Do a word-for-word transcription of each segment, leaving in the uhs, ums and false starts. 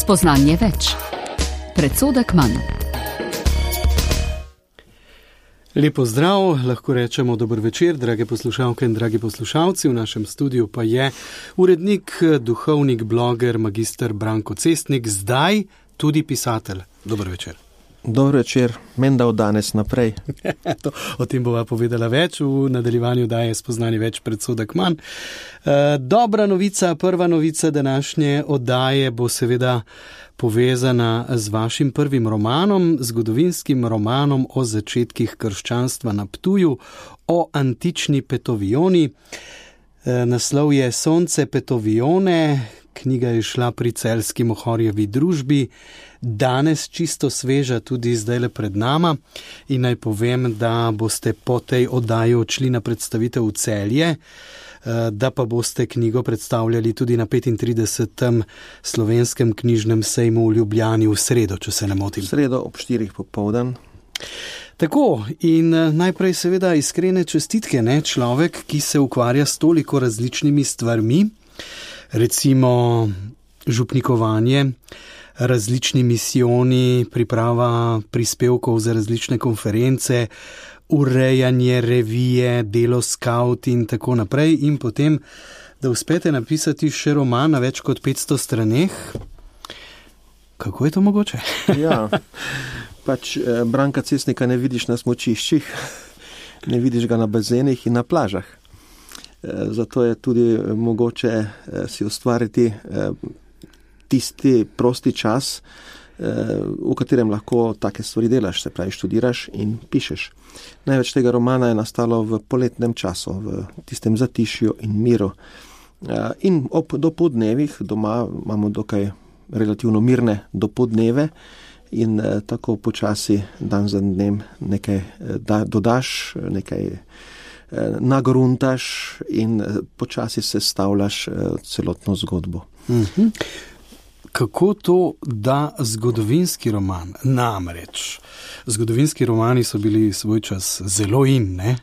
Spoznanje več. Predsodek manj. Lepo zdrav, lahko rečemo dober večer, drage poslušalke in dragi poslušalci. V našem studiu pa je urednik, duhovnik, bloger, magister Branko Cestnik, zdaj tudi pisatelj. Dober večer. Dober večer, menda od danes naprej. to, o tem bova povedala več, v nadaljevanju daje spoznanje več predsodek manj. E, dobra novica, prva novica današnje oddaje bo seveda povezana z vašim prvim romanom, zgodovinskim romanom o začetkih krščanstva na Ptuju, o antični Petovioni. E, naslov je Sonce Petovione, knjiga je šla pri Celjski Mohorjevi družbi, danes čisto sveža tudi zdajle pred nama in naj povem, da boste po tej oddaji odšli na predstavitev v Celje, da pa boste knjigo predstavljali tudi na petintridesetem slovenskem knjižnem sejmu v Ljubljani v sredo, če se ne motim. V sredo ob štirih popoldan. Tako, in najprej seveda iskrene čestitke, ne, človek, ki se ukvarja s toliko različnimi stvarmi, recimo župnikovanje, različni misijoni, priprava prispevkov za različne konference, urejanje revije, delo skaut in tako naprej, in potem, da uspete napisati še roman na več kot petsto straneh. Kako je to mogoče? Ja, pač eh, Branka Cestnika ne vidiš na smučiščih, ne vidiš ga na bazenih in na plažah. Eh, zato je tudi mogoče eh, si ustvariti eh, tisti prosti čas, eh, v katerem lahko take stvari delaš, se pravi študiraš in pišeš. Največ tega romana je nastalo v poletnem času, v tistem zatišju in miru. Eh, in ob dopodnevih doma imamo dokaj relativno mirne dopodneve in eh, tako počasi dan za dnem nekaj eh, da, dodaš, nekaj eh, nagruntaš in eh, počasi sestavljaš eh, celotno zgodbo. Mhm. Kako to, da zgodovinski roman, namreč, zgodovinski romani so bili svoj čas zelo in, ne?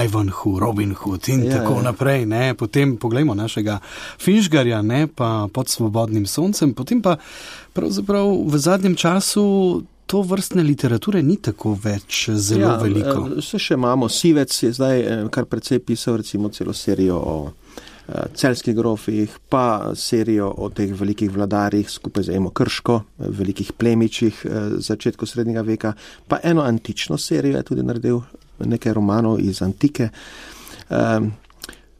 Ivanhoe, Robin Hood in ja, tako ja. naprej, ne? Potem poglejmo našega Finžgarja, ne? Pa Pod svobodnim soncem, potem pa pravzaprav v zadnjem času to vrstne literature ni tako več zelo ja, veliko. Vse še imamo, Sivec je zdaj kar precej pisal recimo celo serijo o celjskih grofih, pa serijo o teh velikih vladarjih skupaj z Emo Krško, velikih plemičih začetku srednjega veka, pa eno antično serijo je tudi naredil, nekaj romanov iz antike.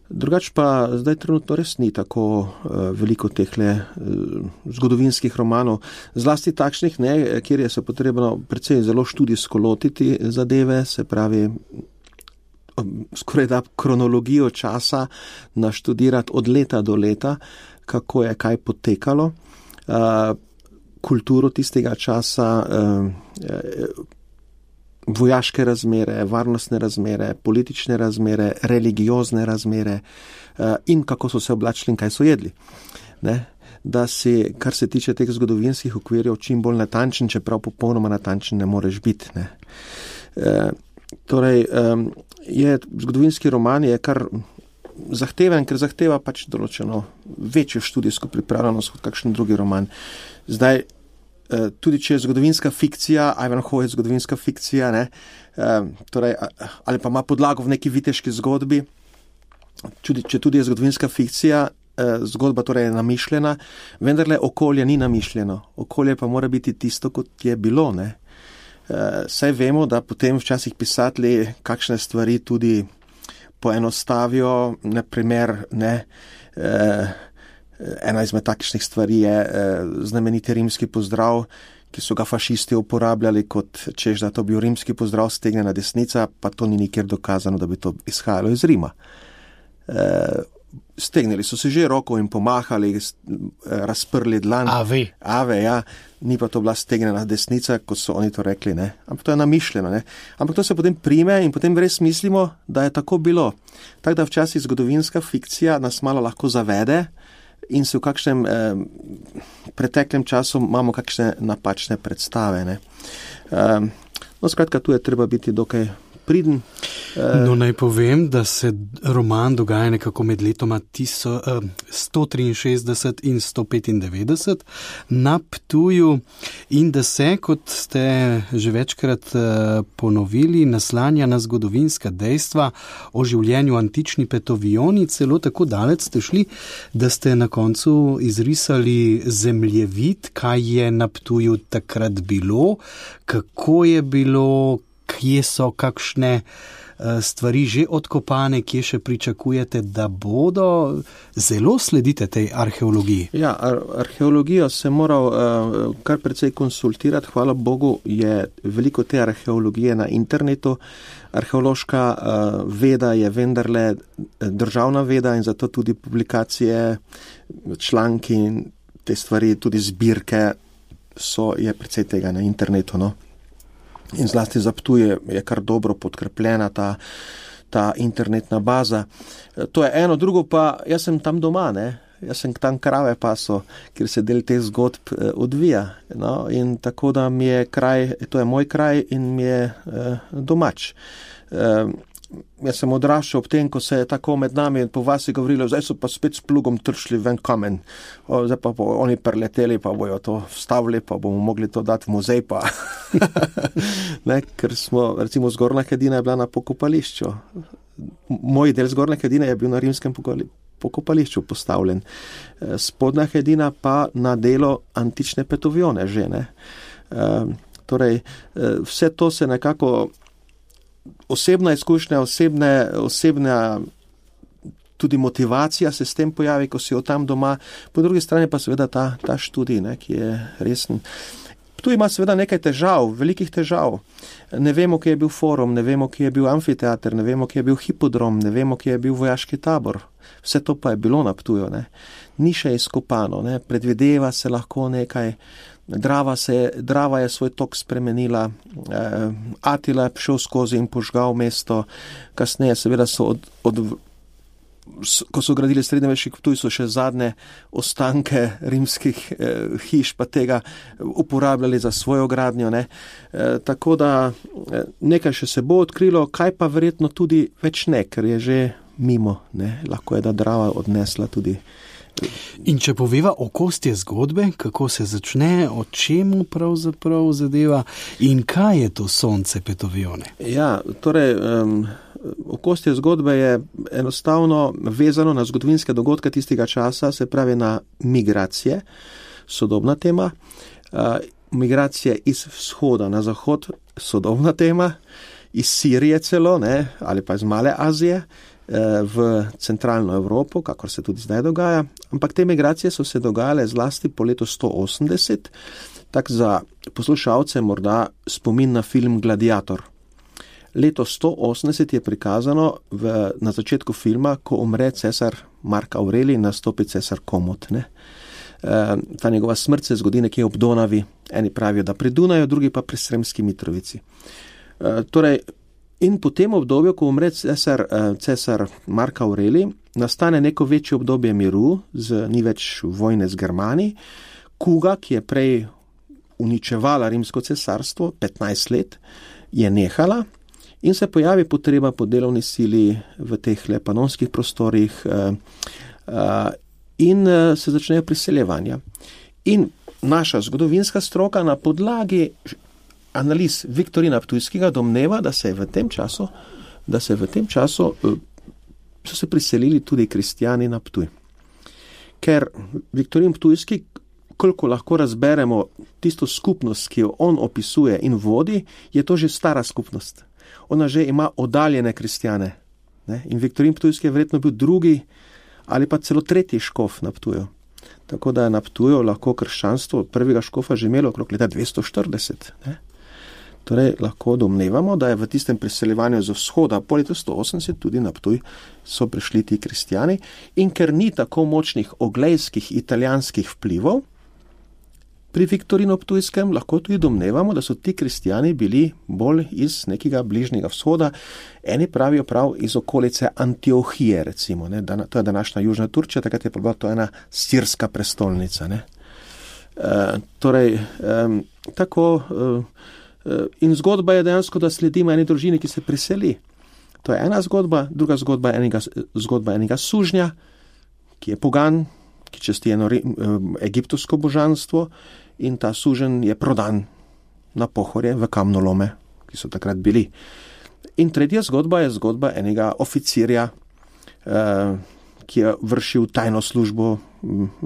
Drugač pa zdaj trenutno res ni tako veliko tehle zgodovinskih romanov, zlasti takšnih, ne, kjer je se potrebno predvsem zelo študijsko lotiti zadeve, se pravi skoraj da kronologijo časa naštudirati od leta do leta, kako je kaj potekalo, kulturo tistega časa, vojaške razmere, varnostne razmere, politične razmere, religiozne razmere in kako so se oblačili in kaj so jedli. Ne? Da si, kar se tiče teh zgodovinskih okvirjev, čim bolj natančen, čeprav popolnoma natančen ne moreš biti. Ne? E, torej, um, je zgodovinski roman je kar zahteven, ker zahteva pač določeno večjo študijsko pripravljenost kot kakšen drugi roman. Zdaj, tudi če je zgodovinska fikcija, Ivanhoe je zgodovinska fikcija, ne, torej, ali pa ima podlago v neki viteški zgodbi, če tudi je zgodovinska fikcija, zgodba torej je namišljena, vendarle okolje ni namišljeno. Okolje pa mora biti tisto, kot je bilo, ne. Saj vemo, da potem včasih pisatelji kakšne stvari tudi poenostavijo, na primer, ne, eh, ena izmed takšnih stvari je eh, znameniti rimski pozdrav, ki so ga fašisti uporabljali kot češ, da to bil rimski pozdrav stegnjena desnica, pa to ni nikjer dokazano, da bi to izhajalo iz Rima. Eh, stegnili so se že roko in pomahali, razprli dlan. Ave. Ave, ja. Ni pa to bila stegnjena desnica, kot so oni to rekli, ne. Ampak to je namišljeno, ne. Ampak to se potem prime in potem res mislimo, da je tako bilo. Tako da včasih zgodovinska fikcija nas malo lahko zavede in se v kakšnem eh, preteklem času imamo kakšne napačne predstave, ne. Eh, no, skratka, tu je treba biti dokaj priden. No, naj povem, da se roman dogaja nekako med letoma sto triinšestdeset in sto petindevetdeset na Ptuju in da se, kot ste že večkrat ponovili, naslanja na zgodovinska dejstva o življenju antični Petovioni, celo tako daleč ste šli, da ste na koncu izrisali zemljevid, kaj je na Ptuju takrat bilo, kako je bilo, kje so kakšne stvari že odkopane, kje še pričakujete, da bodo. Zelo sledite tej arheologiji. Ja, ar- arheologijo se moral uh, kar precej konsultirati. Hvala Bogu je veliko te arheologije na internetu. Arheološka uh, veda je vendarle državna veda in zato tudi publikacije, članki in te stvari, tudi zbirke so, je precej tega na internetu, no. In zlasti za Ptuj je, je kar dobro podkrepljena ta, ta internetna baza. To je eno, drugo pa, jaz sem tam doma, ne? Jaz sem tam krave paso, kjer se del teh zgodb eh, odvija. No? In tako da mi je kraj, to je moj kraj in mi je eh, domač. Eh, jaz sem odraščal ob tem, ko se je tako med nami po vasi govorilo, zdaj so pa spet s plugom tršli ven kamen. O, zdaj pa bo oni preleteli, pa bojo to vstavili, pa bomo mogli to dati v muzej, pa... ne, ker smo, recimo, Zgornja Hedina je bila na pokopališču. Moj del Zgornje Hedine je bil na rimskem pokopališču postavljen. Spodnja Hedina pa na delo antične Petovione že, ne. E, torej, vse to se nekako osebna izkušnja, osebne, osebna tudi motivacija se s tem pojavi, ko si jo tam doma. Po drugi strani pa seveda ta, ta študij, ne, ki je resen. Tu ima seveda nekaj težav, velikih težav. Ne vemo, kje je bil forum, ne vemo, kje je bil amfiteater, ne vemo, kje je bil hipodrom, ne vemo, kje je bil vojaški tabor. Vse to pa je bilo na Ptuju, ne. Ni še izkopano, ne. Predvideva se lahko nekaj. Drava, se, Drava je svoj tok spremenila, eh, Atila je šel skozi in požgal mesto, kasneje seveda so od, od ko so gradili srednjeveški Ptuj, so še zadnje ostanke rimskih eh, hiš pa tega uporabljali za svojo gradnjo, ne. Eh, tako da eh, nekaj še se bo odkrilo, kaj pa verjetno tudi več ne, ker je že mimo, ne. Lahko je, da Drava odnesla tudi. In če poveva okostje zgodbe, kako se začne, o čemu pravzaprav zadeva in kaj je to sonce Petovione? Ja, torej, um, okostje zgodbe je enostavno vezano na zgodovinske dogodke tistega časa, se pravi na migracije, sodobna tema, uh, migracije iz vzhoda na zahod, sodobna tema, iz Sirije celo, ne, ali pa iz Male Azije, v centralno Evropo, kakor se tudi zdaj dogaja, ampak te migracije so se dogajale zlasti po letu sto osemdeset, tak za poslušalce morda spomin na film Gladiator. Leto sto osemdeset je prikazano v, na začetku filma, ko umre cesar Mark Aurelij in nastopi cesar Komot, ne. E, ta njegova smrt se zgodi nekje ob Donavi, eni pravijo, da pri Dunaju, drugi pa pri Sremski Mitrovici. E, torej, in po tem obdobju, ko umre cesar, cesar Mark Aurelij, nastane neko večje obdobje miru, z, ni več vojne z Germani. Kuga, ki je prej uničevala rimsko cesarstvo, petnajst let, je nehala in se pojavi potreba po delovni sili v teh panonskih prostorih in se začnejo priseljevanja. In naša zgodovinska stroka na podlagi analiz Viktorina Ptujskega domneva, da se je v tem času, da se v tem času so se priselili tudi kristjani na Ptuj. Ker Viktorin Ptujski, koliko lahko razberemo tisto skupnost, ki jo on opisuje in vodi, je to že stara skupnost. Ona že ima oddaljene kristjane. Ne? In Viktorin Ptujski je verjetno bil drugi ali pa celo tretji škof na Ptuju. Tako da je na Ptuju lahko krščanstvo prvega škofa že imelo okrog leta dvesto štirideset. Ne? Torej, lahko domnevamo, da je v tistem priseljevanju z vzhoda po letu sto osemdeset tudi na Ptuj so prišli ti kristjani in ker ni tako močnih oglejskih italijanskih vplivov, pri Viktorinu Ptujskem lahko tudi domnevamo, da so ti kristjani bili bolj iz nekega bližnjega vzhoda, eni pravijo prav iz okolice Antiohije, recimo, ne, to je današnja Južna Turčija, takrat je pa bila to ena sirska prestolnica, ne. E, torej, e, tako... E, In zgodba je dejansko, da sledimo eni družini, ki se priseli. To je ena zgodba, druga zgodba je enega, zgodba enega sužnja, ki je pogan, ki časti eno egiptovsko božanstvo in ta suženj je prodan na pohorje v kamnolome, ki so takrat bili. In tretja zgodba je zgodba enega oficirja, ki je vršil tajno službo,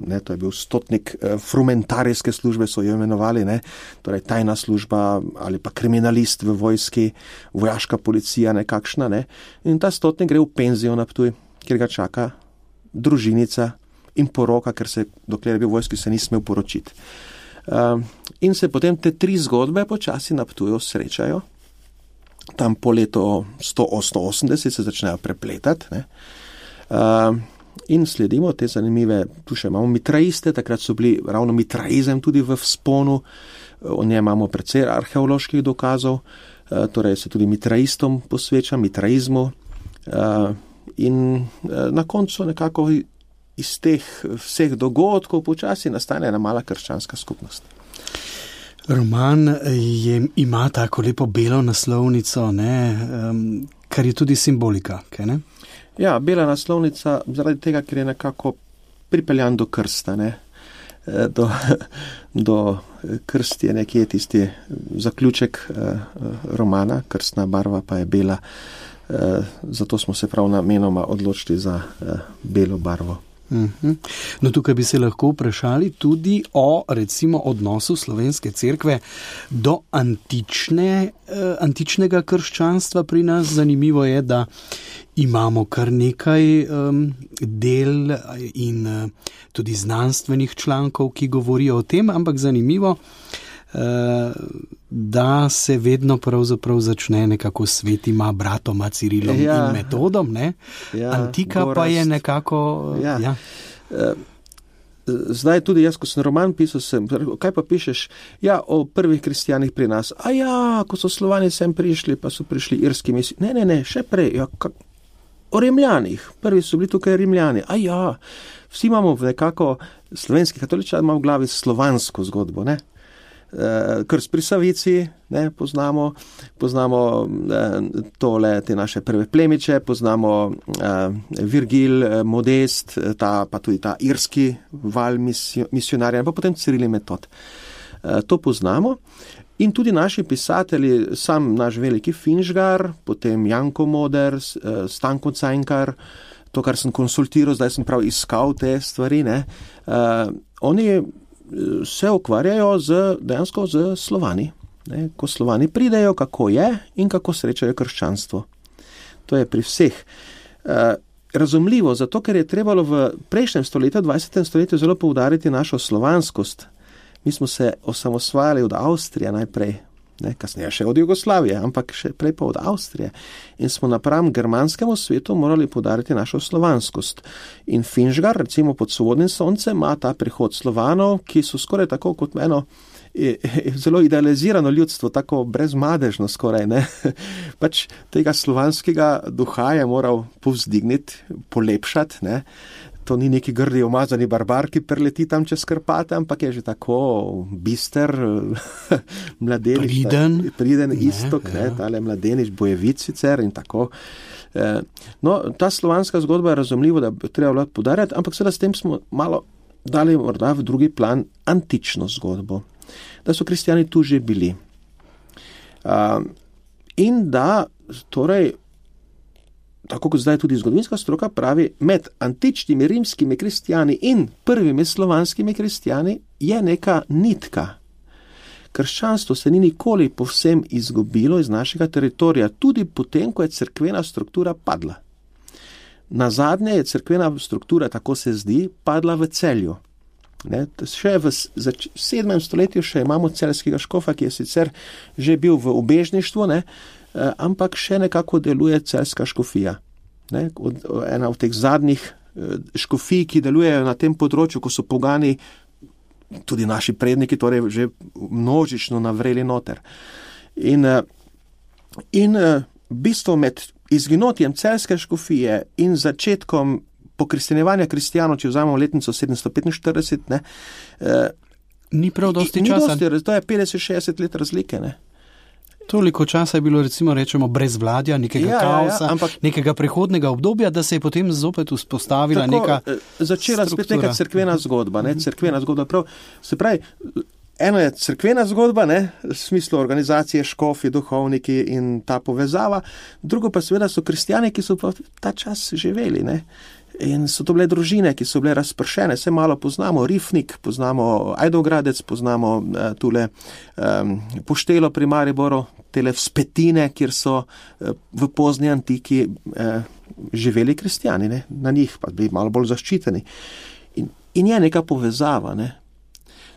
ne, to je bil stotnik frumentarijske službe, so jo imenovali, ne, torej tajna služba ali pa kriminalist v vojski, vojaška policija nekakšna, ne, in ta stotnik gre v penzijo na Ptuj, kjer ga čaka družinica in poroka, ker se, dokler je bil v vojski, se ni smel poročiti. Uh, in se potem te tri zgodbe počasi na Ptuju srečajo, tam po leto sto osemdeset se začnejo prepletati, ne. Uh, in sledimo te zanimive, tu še imamo mitraiste, takrat so bili ravno mitraizem tudi v vzponu, o njej imamo precej arheoloških dokazov, uh, torej se tudi mitraistom posveča, mitraizmu, uh, in uh, na koncu nekako iz teh vseh dogodkov počasi nastane ena mala krščanska skupnost. Roman je, ima tako lepo belo naslovnico, ne, um, kar je tudi simbolika, kaj ne? Ja, bela naslovnica zaradi tega, ker je nekako pripeljan do krsta, ne, do, do krst je nekje tisti zaključek romana, krstna barva pa je bela, zato smo se prav namenoma odločili za belo barvo. Uhum. No, tukaj bi se lahko vprašali tudi o, recimo, odnosu slovenske cerkve do antične, eh, antičnega krščanstva pri nas. Zanimivo je, da imamo kar nekaj um, del in uh, tudi znanstvenih člankov, ki govorijo o tem, ampak zanimivo, uh, da se vedno pravzaprav začne nekako s svetima bratoma Cirilom ja. in Metodom, ne? Ja, Antika gorast. Pa je nekako... Ja. Ja. Zdaj tudi jaz, ko sem roman pisal, sem, kaj pa pišeš? Ja, o prvih kristijanih pri nas. A ja, ko so Slovani sem prišli, pa so prišli irski misli. Ne, ne, ne, še prej. Ja, kak... O Rimljanih. Prvi so bili tukaj Rimljani. A ja, vsi imamo nekako, slovenski katoličan ima v glavi slovansko zgodbo, ne? Krst pri Savici, ne, poznamo, poznamo eh, tole, te naše prve plemiče, poznamo eh, Virgil, eh, Modest, ta, pa tudi ta irski val misionarja, pa potem Ciril in Metod. Eh, to poznamo in tudi naši pisatelji, sam naš veliki Finžgar, potem Janko Moder, eh, Stanko Cankar, to, kar sem konsultiral, zdaj sem prav iskal te stvari, ne, eh, oni se ukvarjajo z, dejansko z Slovani. Ne, ko Slovani pridejo, kako je in kako srečajo krščanstvo. To je pri vseh. E, razumljivo, zato ker je trebalo v prejšnjem stoletju, dvajsetem stoletju zelo poudariti našo slovanskost. Mi smo se osamosvajali od Avstrije najprej, ne, kasneje še od Jugoslavije, ampak še prej pa od Avstrije. In smo napram germanskemu svetu morali poudariti našo slovanskost. In Finžgar, recimo pod Svobodnim soncem, ima ta prihod Slovanov, ki so skoraj tako kot eno zelo idealizirano ljudstvo, tako brezmadežno skoraj, ne. Pač tega slovanskega duha je moral povzdigniti, polepšati, ne. To ni neki grdi umazani barbar, ki preleti tam čez Karpate, ampak je že tako bister, mladenič, priden, ta, priden istok, ne, ja. Tale mladenič, bojevic sicer in tako. No, ta slovanska zgodba je razumljivo, da bi treba podarjati, ampak seveda s tem smo malo dali morda v drugi plan antično zgodbo, da so kristijani tu že bili. In da, torej, tako kot zdaj tudi zgodovinska stroka pravi, med antičnimi rimskimi kristijani in prvimi slovanskimi kristijani je neka nitka. Krščanstvo se ni nikoli povsem izgubilo iz našega teritorija, tudi potem, ko je cerkvena struktura padla. Nazadnje je cerkvena struktura, tako se zdi, padla v Celju. Ne, še v sedmem stoletju še imamo celjskega škofa, ki je sicer že bil v ubežništvu, ne, ampak še nekako deluje celjska škofija. Ne, od, ena od teh zadnjih škofij, ki delujejo na tem področju, ko so pogani, tudi naši predniki, torej že množično navreli noter. In, in bistvo med izginotjem celjske škofije in začetkom pokristjanevanja kristijanov, če vzamemo letnico sedemsto petinštirideset, ne, ni prav dosti ni časa. Dosti, to je petdeset šestdeset let razlike, ne. Toliko časa je bilo, recimo, rečemo, brezvladja, nekega ja, kaosa, ja, ja, ampak, nekega prehodnega obdobja, da se je potem zopet vzpostavila tako, neka začela struktura. spet neka cerkvena zgodba, ne, cerkvena zgodba, prav, se pravi, eno je cerkvena zgodba, ne, v smislu organizacije, škofi, duhovniki in ta povezava, drugo pa seveda so kristjani, ki so pa ta čas živeli, ne. In so to bile družine, ki so bile razpršene, vse malo poznamo, Rifnik, poznamo Ajdovgradec, poznamo uh, tule um, Poštelo pri Mariboru, tele vzpetine, kjer so uh, v pozni antiki uh, živeli kristjani, ne? Na njih pa bili malo bolj zaščiteni. In, in je neka povezava, ne?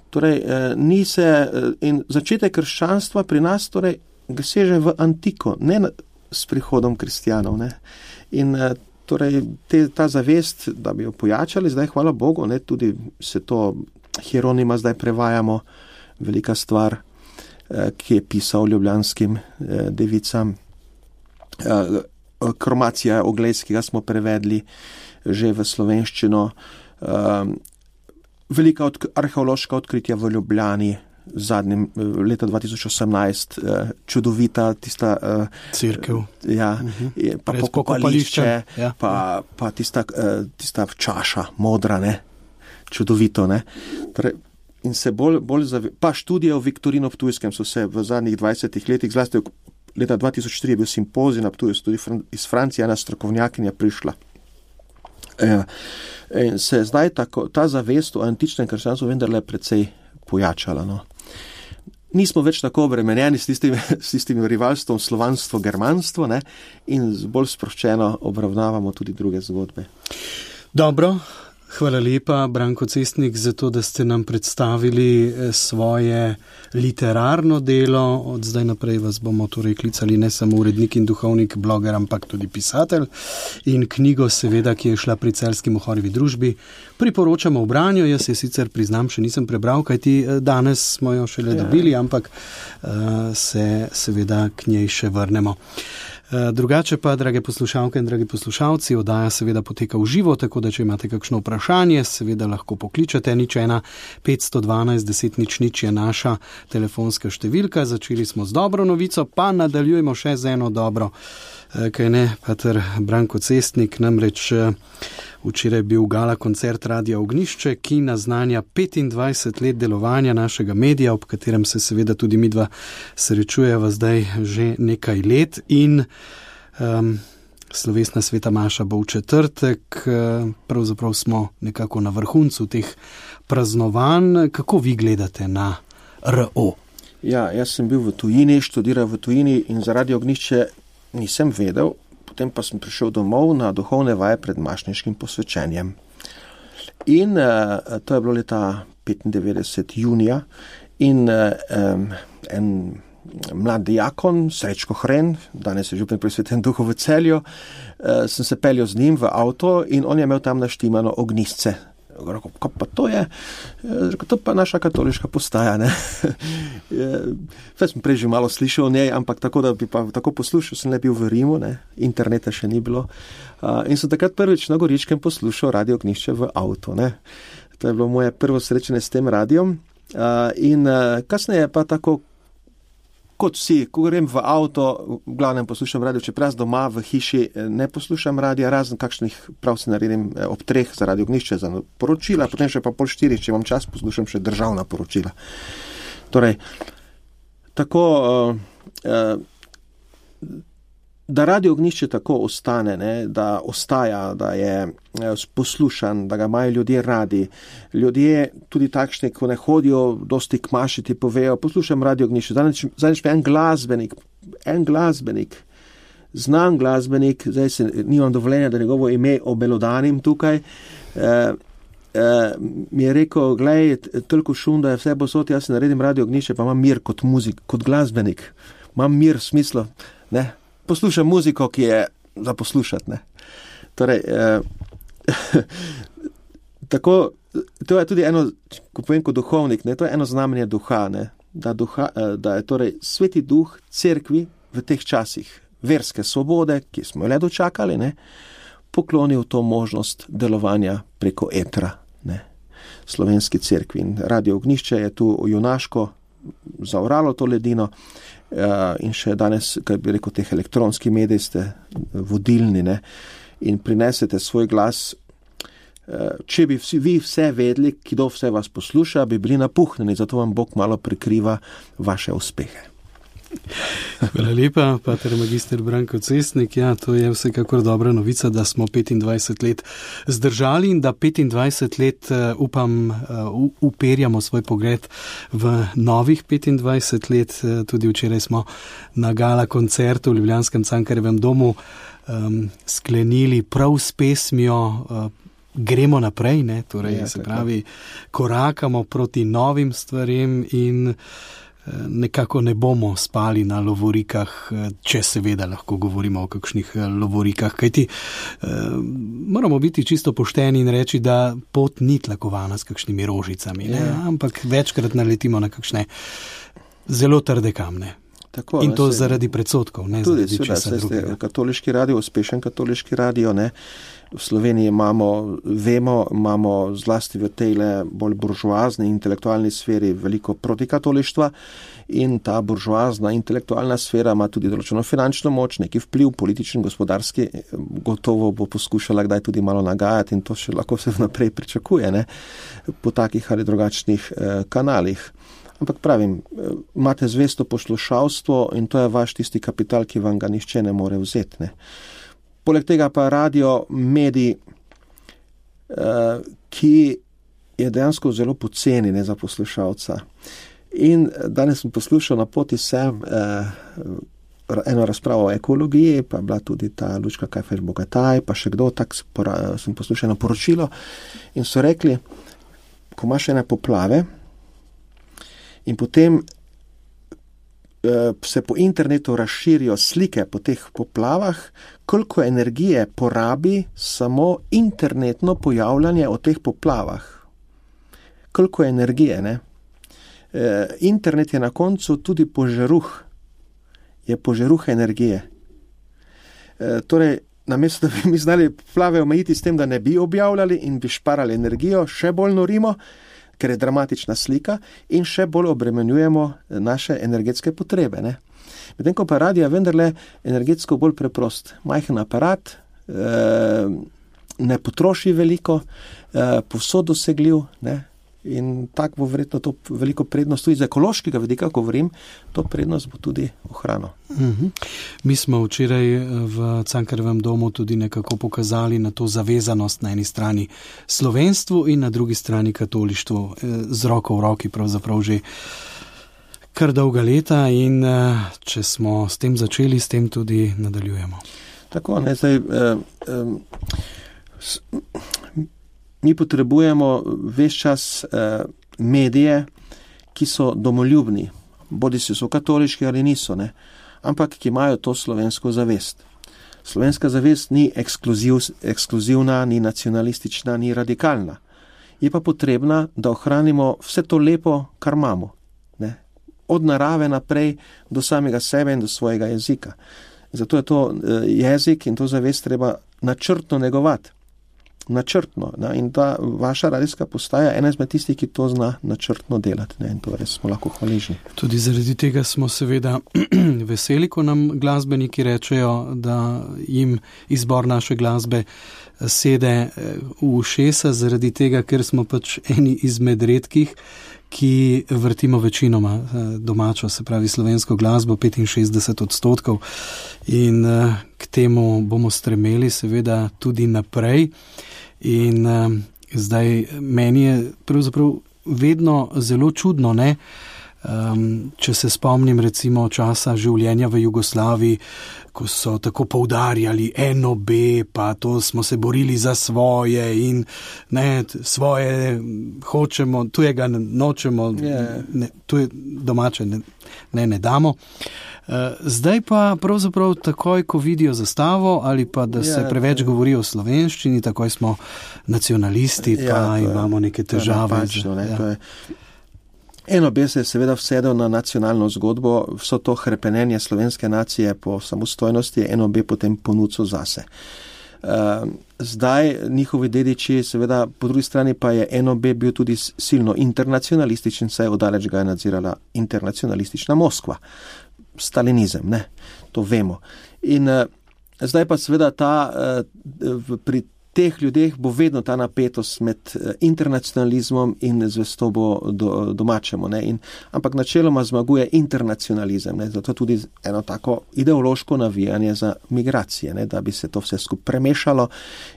Torej, uh, ni se, uh, in začetek krščanstva pri nas, torej, seže v antiko, ne na, s prihodom kristjanov, ne? In uh, Torej, te, ta zavest, da bi jo pojačali, zdaj hvala Bogu, ne, tudi se to Hieronima zdaj prevajamo, velika stvar, eh, ki je pisal ljubljanskim eh, devicam. Eh, Kromacija Oglejs, ki ga smo prevedli že v slovenščino. Eh, velika od, arheološka odkritja v Ljubljani, zadnjem leta dva tisoč osemnajst, eh, čudovita tista eh, cerkev, ja, uh-huh. pa pokopališče, ja. pa, pa tista, eh, tista čaša, modra, ne, čudovito, ne. Torej, in se bolj, bolj zave... pa študije o Viktorinu Ptujskem so se v zadnjih dvajsetih letih, zlasti leta dva tisoč tri je bil simpozij na Ptuju, tudi iz Francije ena strokovnjakinja prišla. Eh, in se zdaj tako, ta zavest o antičnem krščanstvu vendarle precej pojačala, no. Nismo več tako obremenjeni s tistim, s tistim rivalstvom slovanstvo-germanstvo, ne, in bolj sproščeno obravnavamo tudi druge zgodbe. Dobro, hvala lepa, Branko Cestnik, za to, da ste nam predstavili svoje literarno delo. Od zdaj naprej vas bomo torej klicali ne samo urednik in duhovnik, bloger, ampak tudi pisatelj. In knjigo, seveda, ki je šla pri Celjski Mohorjevi družbi, priporočamo v branju. Jaz je sicer priznam, še nisem prebral, kajti danes smo jo šele ja. dobili, ampak uh, se seveda k njej še vrnemo. Drugače pa, drage poslušalke in dragi poslušalci, oddaja seveda poteka v živo, tako da če imate kakšno vprašanje, seveda lahko pokličete. Nič ena petsto dvanajst deset nič nič je naša telefonska številka. Začeli smo z dobro novico, pa nadaljujemo še z eno dobro. Kaj ne, pater Branko Cestnik, namreč včeraj bil gala koncert Radia Ognjišče, ki naznanja petindvajset let delovanja našega medija, ob katerem se seveda tudi midva srečujeva zdaj že nekaj let in um, slovesna sveta maša bo v četrtek, pravzaprav smo nekako na vrhuncu teh praznovanj. Kako vi gledate na R O? Ja, jaz sem bil v tujini, študiral v tujini in za Radio Ognjišče nisem vedel, potem pa sem prišel domov na duhovne vaje pred mašniškim posvečenjem. In uh, to je bilo leta petindevetdeset junija in uh, um, en mlad diakon, Srečko Hren, danes je župan pri Svetem Duhu v Celju, uh, sem se peljal z njim v avto in on je imel tam naštimano ognjišče. Rekel, kaj pa to je? Rekel, to pa naša katoliška postaja, ne. Već sem prej že malo slišal o njej, ampak tako, da bi pa tako poslušal, sem le bil v Rimu, ne. Interneta še ni bilo. Uh, in sem takrat prvič na Goričkem poslušal Radio Ognjišče v avto, ne. To je bilo moje prvo srečanje s tem radijom. Uh, in uh, kasneje pa tako, kot vsi, ko grem v avto, v glavnem poslušam radio, čeprav doma v hiši ne poslušam radija, razen kakšnih prav se naredim ob treh za Radio Ognjišče, za poročila, potem še pa pol štirih, če imam čas, poslušam še državna poročila. Torej, tako, uh, uh, da Radio Ognjišče tako ostane, ne, da ostaja, da je poslušan, da ga imajo ljudje radi. Ljudje, tudi takšni, ko ne hodijo dosti k maši, ti povejo, poslušam Radio Ognjišče. Zadnjič pa en glasbenik, en glasbenik, znan glasbenik, zdaj se nimam dovoljenja, da njegovo ime obelodanim tukaj, eh, eh, mi je rekel, glej, toliko šum, da je vse posod, jaz se naredim Radio Ognjišče, pa imam mir kot muzik, kot glasbenik. Imam mir v smislu, ne, poslušam muziko, ki je za poslušati, ne. Torej, eh, tako, to je tudi eno, ko povem kot duhovnik, ne, to je eno znamenje duha, ne, da, duha, eh, da je torej sveti duh cerkvi v teh časih verske svobode, ki smo jo le dočakali, ne, poklonil to možnost delovanja preko etra, ne, slovenski cerkvi. In Radio Ognjišče je tu junaško zaoralo to ledino in še danes, kaj bi rekel, teh elektronskih medij ste vodilni, ne, in prinesete svoj glas. Če bi vsi, vi vse vedeli, kdo vse vas posluša, bi bili napuhnjeni, zato vam Bog malo prikriva vaše uspehe. Hvala lepa, pater magister Branko Cestnik. Ja, to je vsekakor dobra novica, da smo petindvajset let zdržali in da petindvajset let, upam, uperjamo svoj pogled v novih petindvajset let. Tudi včeraj smo na gala koncertu v ljubljanskem Cankarjevem domu um, sklenili prav s pesmijo uh, Gremo naprej, ne? Torej, ja, se pravi, korakamo proti novim stvarem in nekako ne bomo spali na lovorikah, če seveda lahko govorimo o kakšnih lovorikah, kajti eh, moramo biti čisto pošteni in reči, da pot ni tlakovana s kakšnimi rožicami, ne? Ampak večkrat naletimo na kakšne zelo trde kamne. Tako, in to ne, se, zaradi predsodkov, ne tudi, zaradi česa drugega. Katoliški radio, uspešen katoliški radio, ne. V Sloveniji imamo, vemo, imamo zlasti v tejle bolj buržoazni intelektualni sferi veliko protikatolištva in ta buržoazna intelektualna sfera ima tudi določeno finančno moč, neki vpliv, politični, gospodarski, gotovo bo poskušala kdaj tudi malo nagajati in to še lahko se vnaprej pričakuje, ne, po takih ali drugačnih eh, kanalih. Ampak pravim, imate zvesto poslušalstvo in to je vaš tisti kapital, ki vam ga nihče ne more vzeti, ne. Poleg tega pa radio medij, ki je dejansko zelo poceni, ne, za poslušalca. In danes sem poslušal na poti sem eno razpravo o ekologiji, pa je bila tudi ta Lučka Kajfež-Bogataj, pa še kdo, tak sem poslušal eno poročilo in so rekli, ko imaš ene poplave in potem se po internetu razširijo slike po teh poplavah, koliko energije porabi samo internetno pojavljanje o teh poplavah. Koliko energije, ne? E, internet je na koncu tudi požaruh. Je požaruh energije. E, torej, namesto da bi mi znali poplave omejiti s tem, da ne bi objavljali in bi šparali energijo, še bolj norimo, ker je dramatična slika in še bolj obremenjujemo naše energetske potrebe, ne. Medtem ko pa radio je vendarle energetsko bolj preprost. Majhen aparat, ne potroši veliko, povsod dosegljiv, ne. In tak bo verjetno to veliko prednost tudi iz ekološkega vidika, ko govorim, to prednost bo tudi ohranil. Mhm. Mi smo včeraj v Cankarjevem domu tudi nekako pokazali na to zavezanost na eni strani slovenstvu in na drugi strani katolištvu, z roko v roki pravzaprav že kar dolga leta in če smo s tem začeli, s tem tudi nadaljujemo. Tako, ne, zdaj... Eh, eh, s, Mi potrebujemo ves čas eh, medije, ki so domoljubni, bodi si so katoliški ali niso, ne, ampak ki imajo to slovensko zavest. Slovenska zavest ni ekskluziv, ekskluzivna, ni nacionalistična, ni radikalna. Je pa potrebna, da ohranimo vse to lepo, kar imamo, ne, od narave naprej do samega sebe in do svojega jezika. Zato je to eh, jezik in to zavest treba načrtno negovati. načrtno, ne, in ta vaša radijska postaja ena izmed tistih, ki to zna načrtno delati, ne, in to res smo lahko hvaležni. Tudi zaradi tega smo seveda veseli, ko nam glasbeniki rečejo, da jim izbor naše glasbe sede v ušesa, zaradi tega, ker smo pač eni izmed redkih, ki vrtimo večinoma domačo, se pravi slovensko glasbo, petinšestdeset odstotkov, in k temu bomo stremeli seveda tudi naprej. In uh, zdaj meni je pravzaprav vedno zelo čudno, ne, um, če se spomnim recimo časa življenja v Jugoslaviji, ko so tako poudarjali en o be, pa to smo se borili za svoje in ne, svoje hočemo, tujega nočemo, yeah. ne, tuje domače ne, ne, ne damo. Zdaj pa pravzaprav takoj, ko vidijo zastavo ali pa da se ja, preveč govori o slovenščini, takoj smo nacionalisti, pa ja, imamo neke težave. Napačno, ne, ja. En o be se je seveda vsedel na nacionalno zgodbo, vso to hrepenenje slovenske nacije po samostojnosti je en o be potem ponudil zase. Zdaj njihovi dediči, seveda po drugi strani pa je N O B bil tudi silno internacionalističen, saj odaleč ga je nadzirala internacionalistična Moskva. Stalinizem, ne, to vemo. In uh, zdaj pa seveda ta, uh, pri teh ljudeh bo vedno ta napetost med uh, internacionalizmom in zvestobo do, domačemu. Ne, in, ampak načeloma zmaguje internacionalizem, ne, zato tudi eno tako ideološko navijanje za migracije, ne, da bi se to vse skupaj premešalo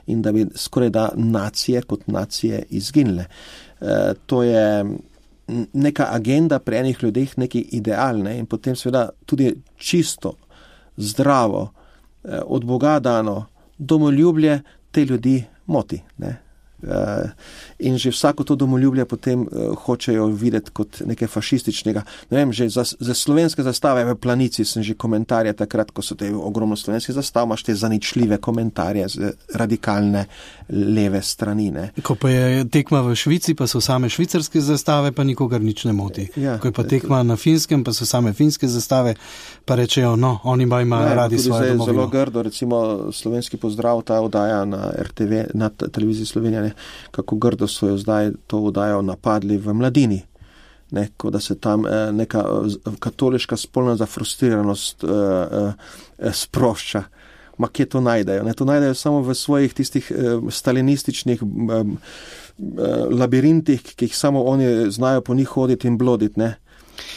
in da bi skoraj da nacije kot nacije izginile. Uh, to je neka agenda pri enih ljudeh, neki ideal, ne? In potem seveda tudi čisto, zdravo, eh, od Boga dano domoljublje te ljudi moti. Ne? Eh, in že vsako to domoljublje potem eh, hočejo videti kot nekaj fašističnega. Ne vem, že za, za slovenske zastave v Planici sem že komentarje takrat, ko so te ogromno slovenskih zastav, imaš te zaničljive komentarje z radikalne leve strani. Ne. Ko pa je tekma v Švici, pa so same švicarske zastave, pa nikogar nič ne moti. Ja, ko je pa tekma na Finskem, pa so same finske zastave, pa rečejo, no, oni pa imajo ja, radi svoje domovino. Zelo grdo, recimo slovenski pozdrav, ta oddaja na R T V, na televiziji Slovenija, ne, kako grdo so jo zdaj to oddajo napadli v Mladini. Ne, ko da se tam eh, neka katoliška spolna zafrustriranost eh, eh, sprošča. Ma kje to najdejo? Ne? To najdejo samo v svojih tistih eh, stalinističnih eh, eh, labirintih, ki jih samo oni znajo po njih hoditi in bloditi. Ne?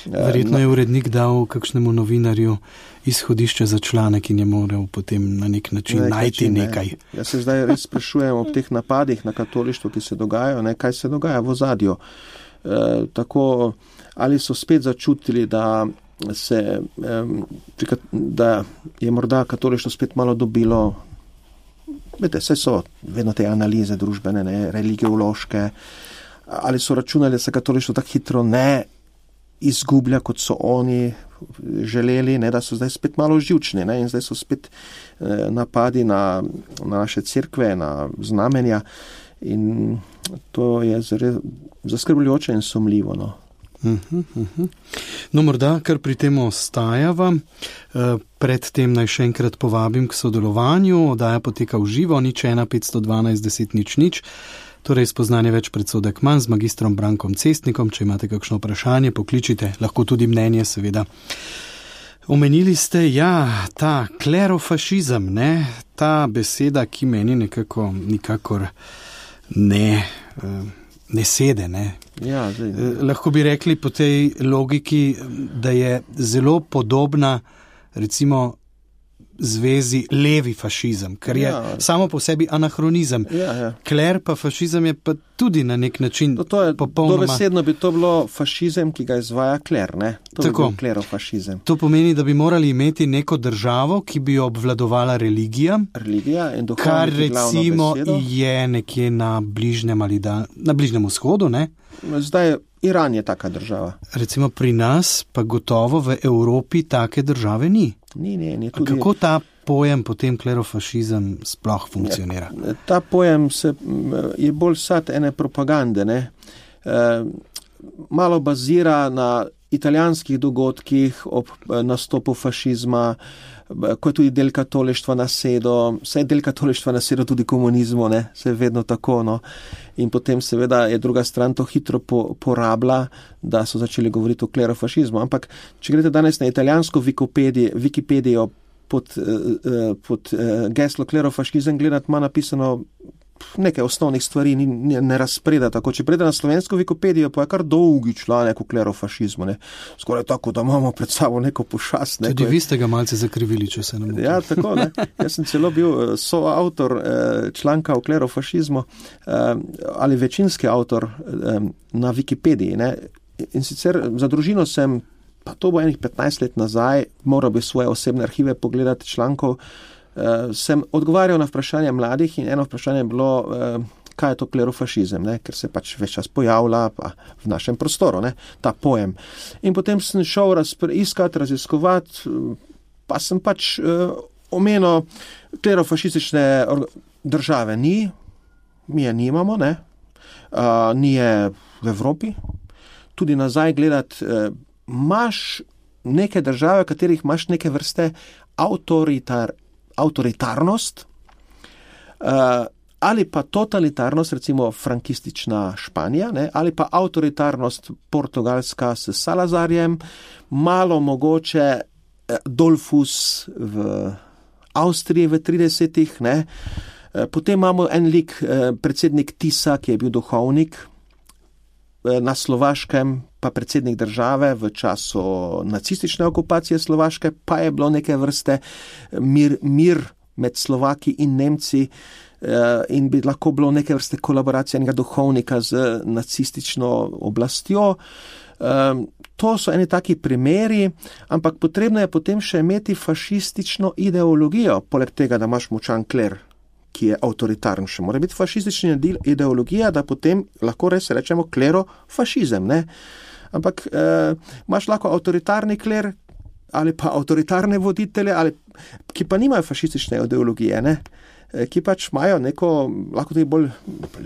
Verjetno je urednik dal kakšnemu novinarju izhodišče za članek in je moral potem na nek način ne, najti ne. nekaj. Jaz se zdaj res sprašujem ob teh napadih na katolištvo, ki se dogajajo, ne, kaj se dogaja v ozadju. E, tako, ali so spet začutili, da, se, e, da je morda katolištvo spet malo dobilo, vete, saj so vedno te analize družbene, ne, religiološke, ali so računali, da se katolištvo tako hitro ne izgublja, kot so oni želeli, ne, da so zdaj spet malo živčni, ne, in zdaj so spet eh, napadi na, na naše cerkve, na znamenja in to je zare, zaskrbljujoče in sumljivo. No. Uh-huh, uh-huh. No, morda, kar pri tem ostajava, eh, predtem naj še enkrat povabim k sodelovanju, oddaja poteka v živo, nič ena petsto dvanajst deset nič nič. Torej, spoznanje več predsodek manj z magistrom Brankom Cestnikom. Če imate kakšno vprašanje, pokličite, lahko tudi mnenje, seveda. Omenili ste, ja, ta klerofašizem, ne, ta beseda, ki meni nekako nikakor ne, ne sede, ne. Ja, zdaj. Lahko bi rekli po tej logiki, da je zelo podobna, recimo, zvezi levi fašizem, ker je ja. samo po sebi anahronizem. Ja, ja. Kler pa fašizem je pa tudi na nek način no, to je, popolnoma... Dobesedno bi to bilo fašizem, ki ga izvaja kler, ne? To Tako. bi bil klerofašizem. To pomeni, da bi morali imeti neko državo, ki bi jo obvladovala religija, religija in kar recimo je nekje na bližnjem ali da, na bližnjem vzhodu, ne? Zdaj Iran je taka država. Recimo pri nas pa gotovo v Evropi take države ni. Ni, ni, ni tudi... Kako ta pojem potem klerofašizem sploh funkcionira? Ja, ta pojem se, je bolj sad ene propagande, ne? E, malo bazira na italijanskih dogodkih ob nastopu fašizma, ko je tudi del katolištva nasedo, vse del katolištva nasedo tudi komunizmu, ne, se je vedno tako, no. In potem seveda je druga stran to hitro po, porabila, da so začeli govoriti o klerofašizmu. Ampak, če greste danes na italijansko Wikipedijo pod, pod geslo klerofašizem, gledati ima napisano nekaj osnovnih stvari, ni, ne razpreda tako. Če prede na slovensko Wikipedijo, pa je kar dolgi članek o klerofašizmu, ne. Skoraj tako, da imamo pred sabo neko pošast. Ne, Tudi je... vi ste ga malce zakrivili, če se ne motim. Ja, tako, ne. Jaz sem celo bil soavtor eh, članka o klerofašizmu eh, ali večinski avtor eh, na Wikipediji, ne. In sicer za družino sem, pa to bo enih petnajst let nazaj, moral bi svoje osebne arhive pogledati člankov, Uh, sem odgovarjal na vprašanje mladih in eno vprašanje je bilo, uh, kaj je to klerofašizem, ne? Ker se pač več čas pojavlja pa v našem prostoru, ne? Ta pojem. In potem sem šel razpre, iskat, raziskovati, pa sem pač uh, omenil klerofašistične države. Ni, mi je nimamo, ne? Uh, ni je v Evropi. Tudi nazaj gledati, uh, imaš neke države, v katerih imaš neke vrste avtoritar avtoritarnost, ali pa totalitarnost, recimo frankistična Španija, ne, ali pa avtoritarnost Portugalska s Salazarjem, malo mogoče Dollfuss v Avstriji v tridesetih, ne. Potem imamo en lik, predsednik Tisa, ki je bil duhovnik, na Slovaškem pa predsednik države v času nacistične okupacije Slovaške, pa je bilo neke vrste mir, mir med Slovaki in Nemci in bi lahko bilo neke vrste kolaboracija enega duhovnika z nacistično oblastjo. To so eni taki primeri, ampak potrebno je potem še imeti fašistično ideologijo, poleg tega, da imaš močan kler, ki je avtoritarn, še mora biti fašistična ideologija, da potem lahko res rečemo klerofašizem, ne? Ampak eh, imaš lahko avtoritarni kler ali pa avtoritarne voditelje, ali, ki pa nimajo fašistične ideologije, ne? Ki pač imajo neko, lahko tudi bolj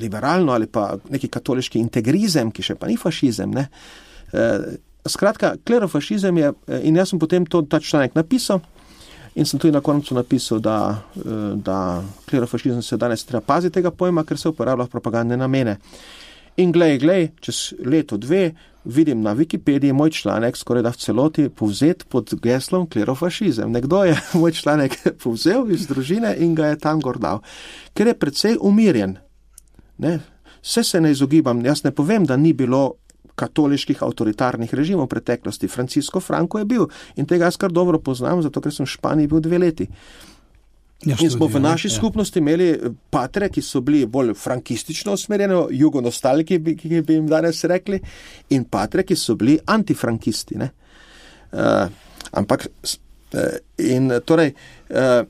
liberalno ali pa neki katoliški integrizem, ki še pa ni fašizem, ne? Eh, skratka, klerofašizem je, in jaz sem potem to, ta članek napisal, in sem tudi na koncu napisal, da, da klerofašizem se danes treba paziti tega pojma, ker se uporablja v propagandne namene. In glej, glej, čez leto dve vidim na Wikipediji moj članek skoraj da v celoti povzet pod geslom klerofašizem. Nekdo je moj članek povzel iz družine in ga je tam gor dal. Ker je precej umirjen. Ne? Vse se ne izogibam. Jaz ne povem, da ni bilo katoliških avtoritarnih režimov v preteklosti. Francisco Franco je bil in tega jaz kar dobro poznam, zato ker sem v Španiji bil dve leti. Ja, in smo v naši ja. skupnosti imeli patre, ki so bili bolj frankistično usmerjeni, jugonostaliki, ki bi jim danes rekli, in patre, ki so bili antifrankisti. Ne? Uh, ampak, uh, in, torej, uh,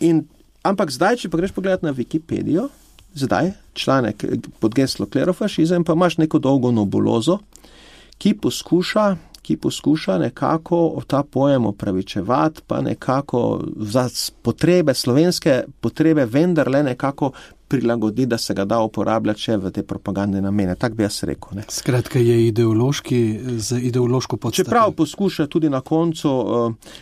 in, ampak zdaj, če pa greš pogledati na Wikipedijo, zdaj, članek pod geslo klerofašizem, pa imaš neko dolgo nebulozo, ki poskuša, ki poskuša nekako ta pojem opravičevati, pa nekako za potrebe, slovenske potrebe vendarle nekako prilagodi, da se ga da uporabljati še v te propagandne namene. Tak bi jaz rekel. Ne. Skratka je ideološki, z ideološko podstato. Čeprav poskuša tudi na koncu,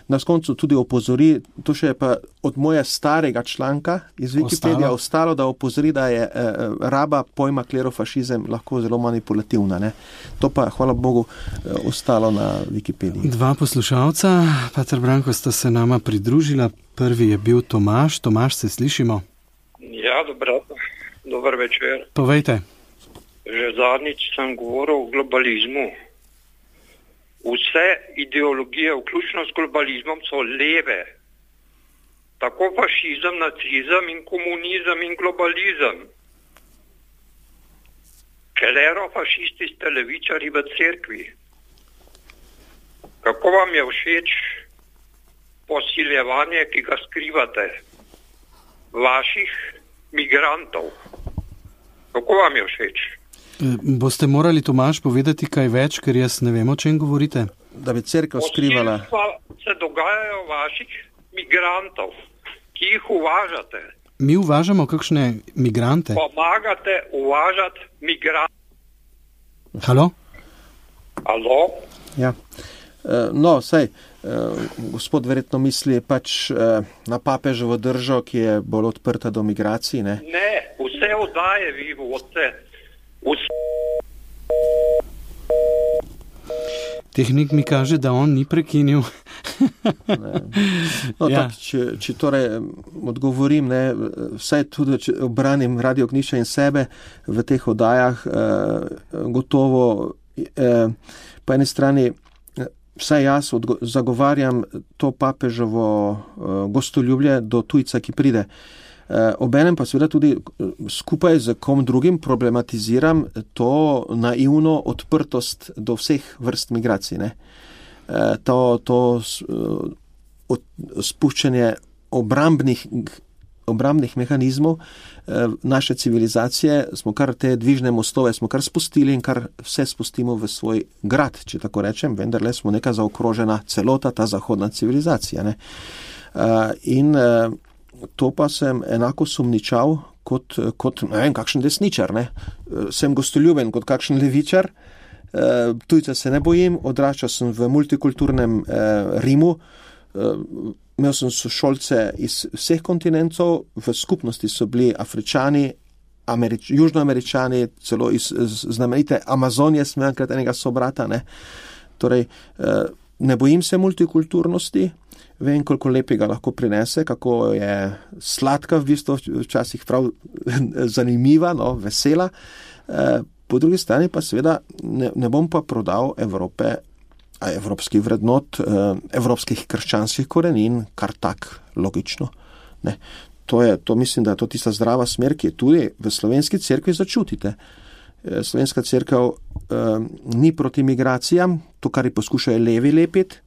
na koncu tudi opozori, to še je pa od moje starega članka iz Wikipedija ostalo, ostalo da opozori, da je eh, raba pojma klerofašizem lahko zelo manipulativna. Ne. To pa, hvala Bogu, eh, ostalo na Wikipediji. Dva poslušalca, Pater Branko, sta se nama pridružila. Prvi je bil Tomaž. Tomaž, se slišimo? Ja, dobro, dober večer. Povejte. Že zadnjič sem govoril o globalizmu. Vse ideologije, vključno s globalizmom, so leve. Tako fašizem, nacizem in komunizem in globalizem. Klerofašisti ste levičari v cerkvi. Kako vam je všeč posiljevanje, ki ga skrivate? Vaših migrantov. Kako vam je všeč? Boste morali, Tomaž, povedati kaj več, ker jaz ne vem, o čem govorite. Da bi cerkev skrivala. Posilstva se dogajajo vaših migrantov, ki jih uvažate. Mi uvažamo kakšne migrante? Pomagate uvažati migrante. Halo? Halo? Ja. No, saj, gospod verjetno misli pač na papeževo držo, ki je bolj odprta do migracij, ne? Ne, vse oddaje vi vodite. Vse... Tehnik mi kaže, da on ni prekinil. No, ja. tak, če, če torej odgovorim, ne, vsaj tudi, če obranim Radio Ognišče in sebe v teh oddajah, eh, gotovo eh, po eni strani vsaj jaz odgo- zagovarjam to papeževo uh, gostoljubje do tujca, ki pride. Uh, obenem pa seveda tudi skupaj z kom drugim problematiziram to naivno odprtost do vseh vrst migracij. Ne? Uh, to to uh, od, spuščanje obrambnih, obrambnih mehanizmov uh, naše civilizacije, smo kar te dvižne mostove smo kar spustili in kar vse spustimo v svoj grad, če tako rečem, vendarle smo neka zaokrožena celota, ta zahodna civilizacija. Ne? Uh, in uh, to pa sem enako sumničal kot, kot ne vem, kakšen desničar. Ne? Uh, sem gostoljuben kot kakšen levičar, uh, tujca se ne bojim, odraščal sem v multikulturnem uh, Rimu, uh, imel sem sošolce iz vseh kontinentov, v skupnosti so bili Afričani, Američ, Južnoameričani, celo iz znamenite Amazonije sem enkrat enega sobrata. Ne? Torej, ne bojim se multikulturnosti, vem, koliko lepega lahko prinese, kako je sladka v bistvu, včasih prav zanimiva, no, vesela. Po drugi strani pa seveda ne, ne bom pa prodal Evrope, evropskih vrednot, evropskih krščanskih korenin, kar tak logično. Ne. To, je, to mislim, da je to tista zdrava smer, ki je tudi v slovenski cerkvi začutite. Slovenska cerkev eh, ni proti migracijam, to, kar ji poskušajo levi lepiti.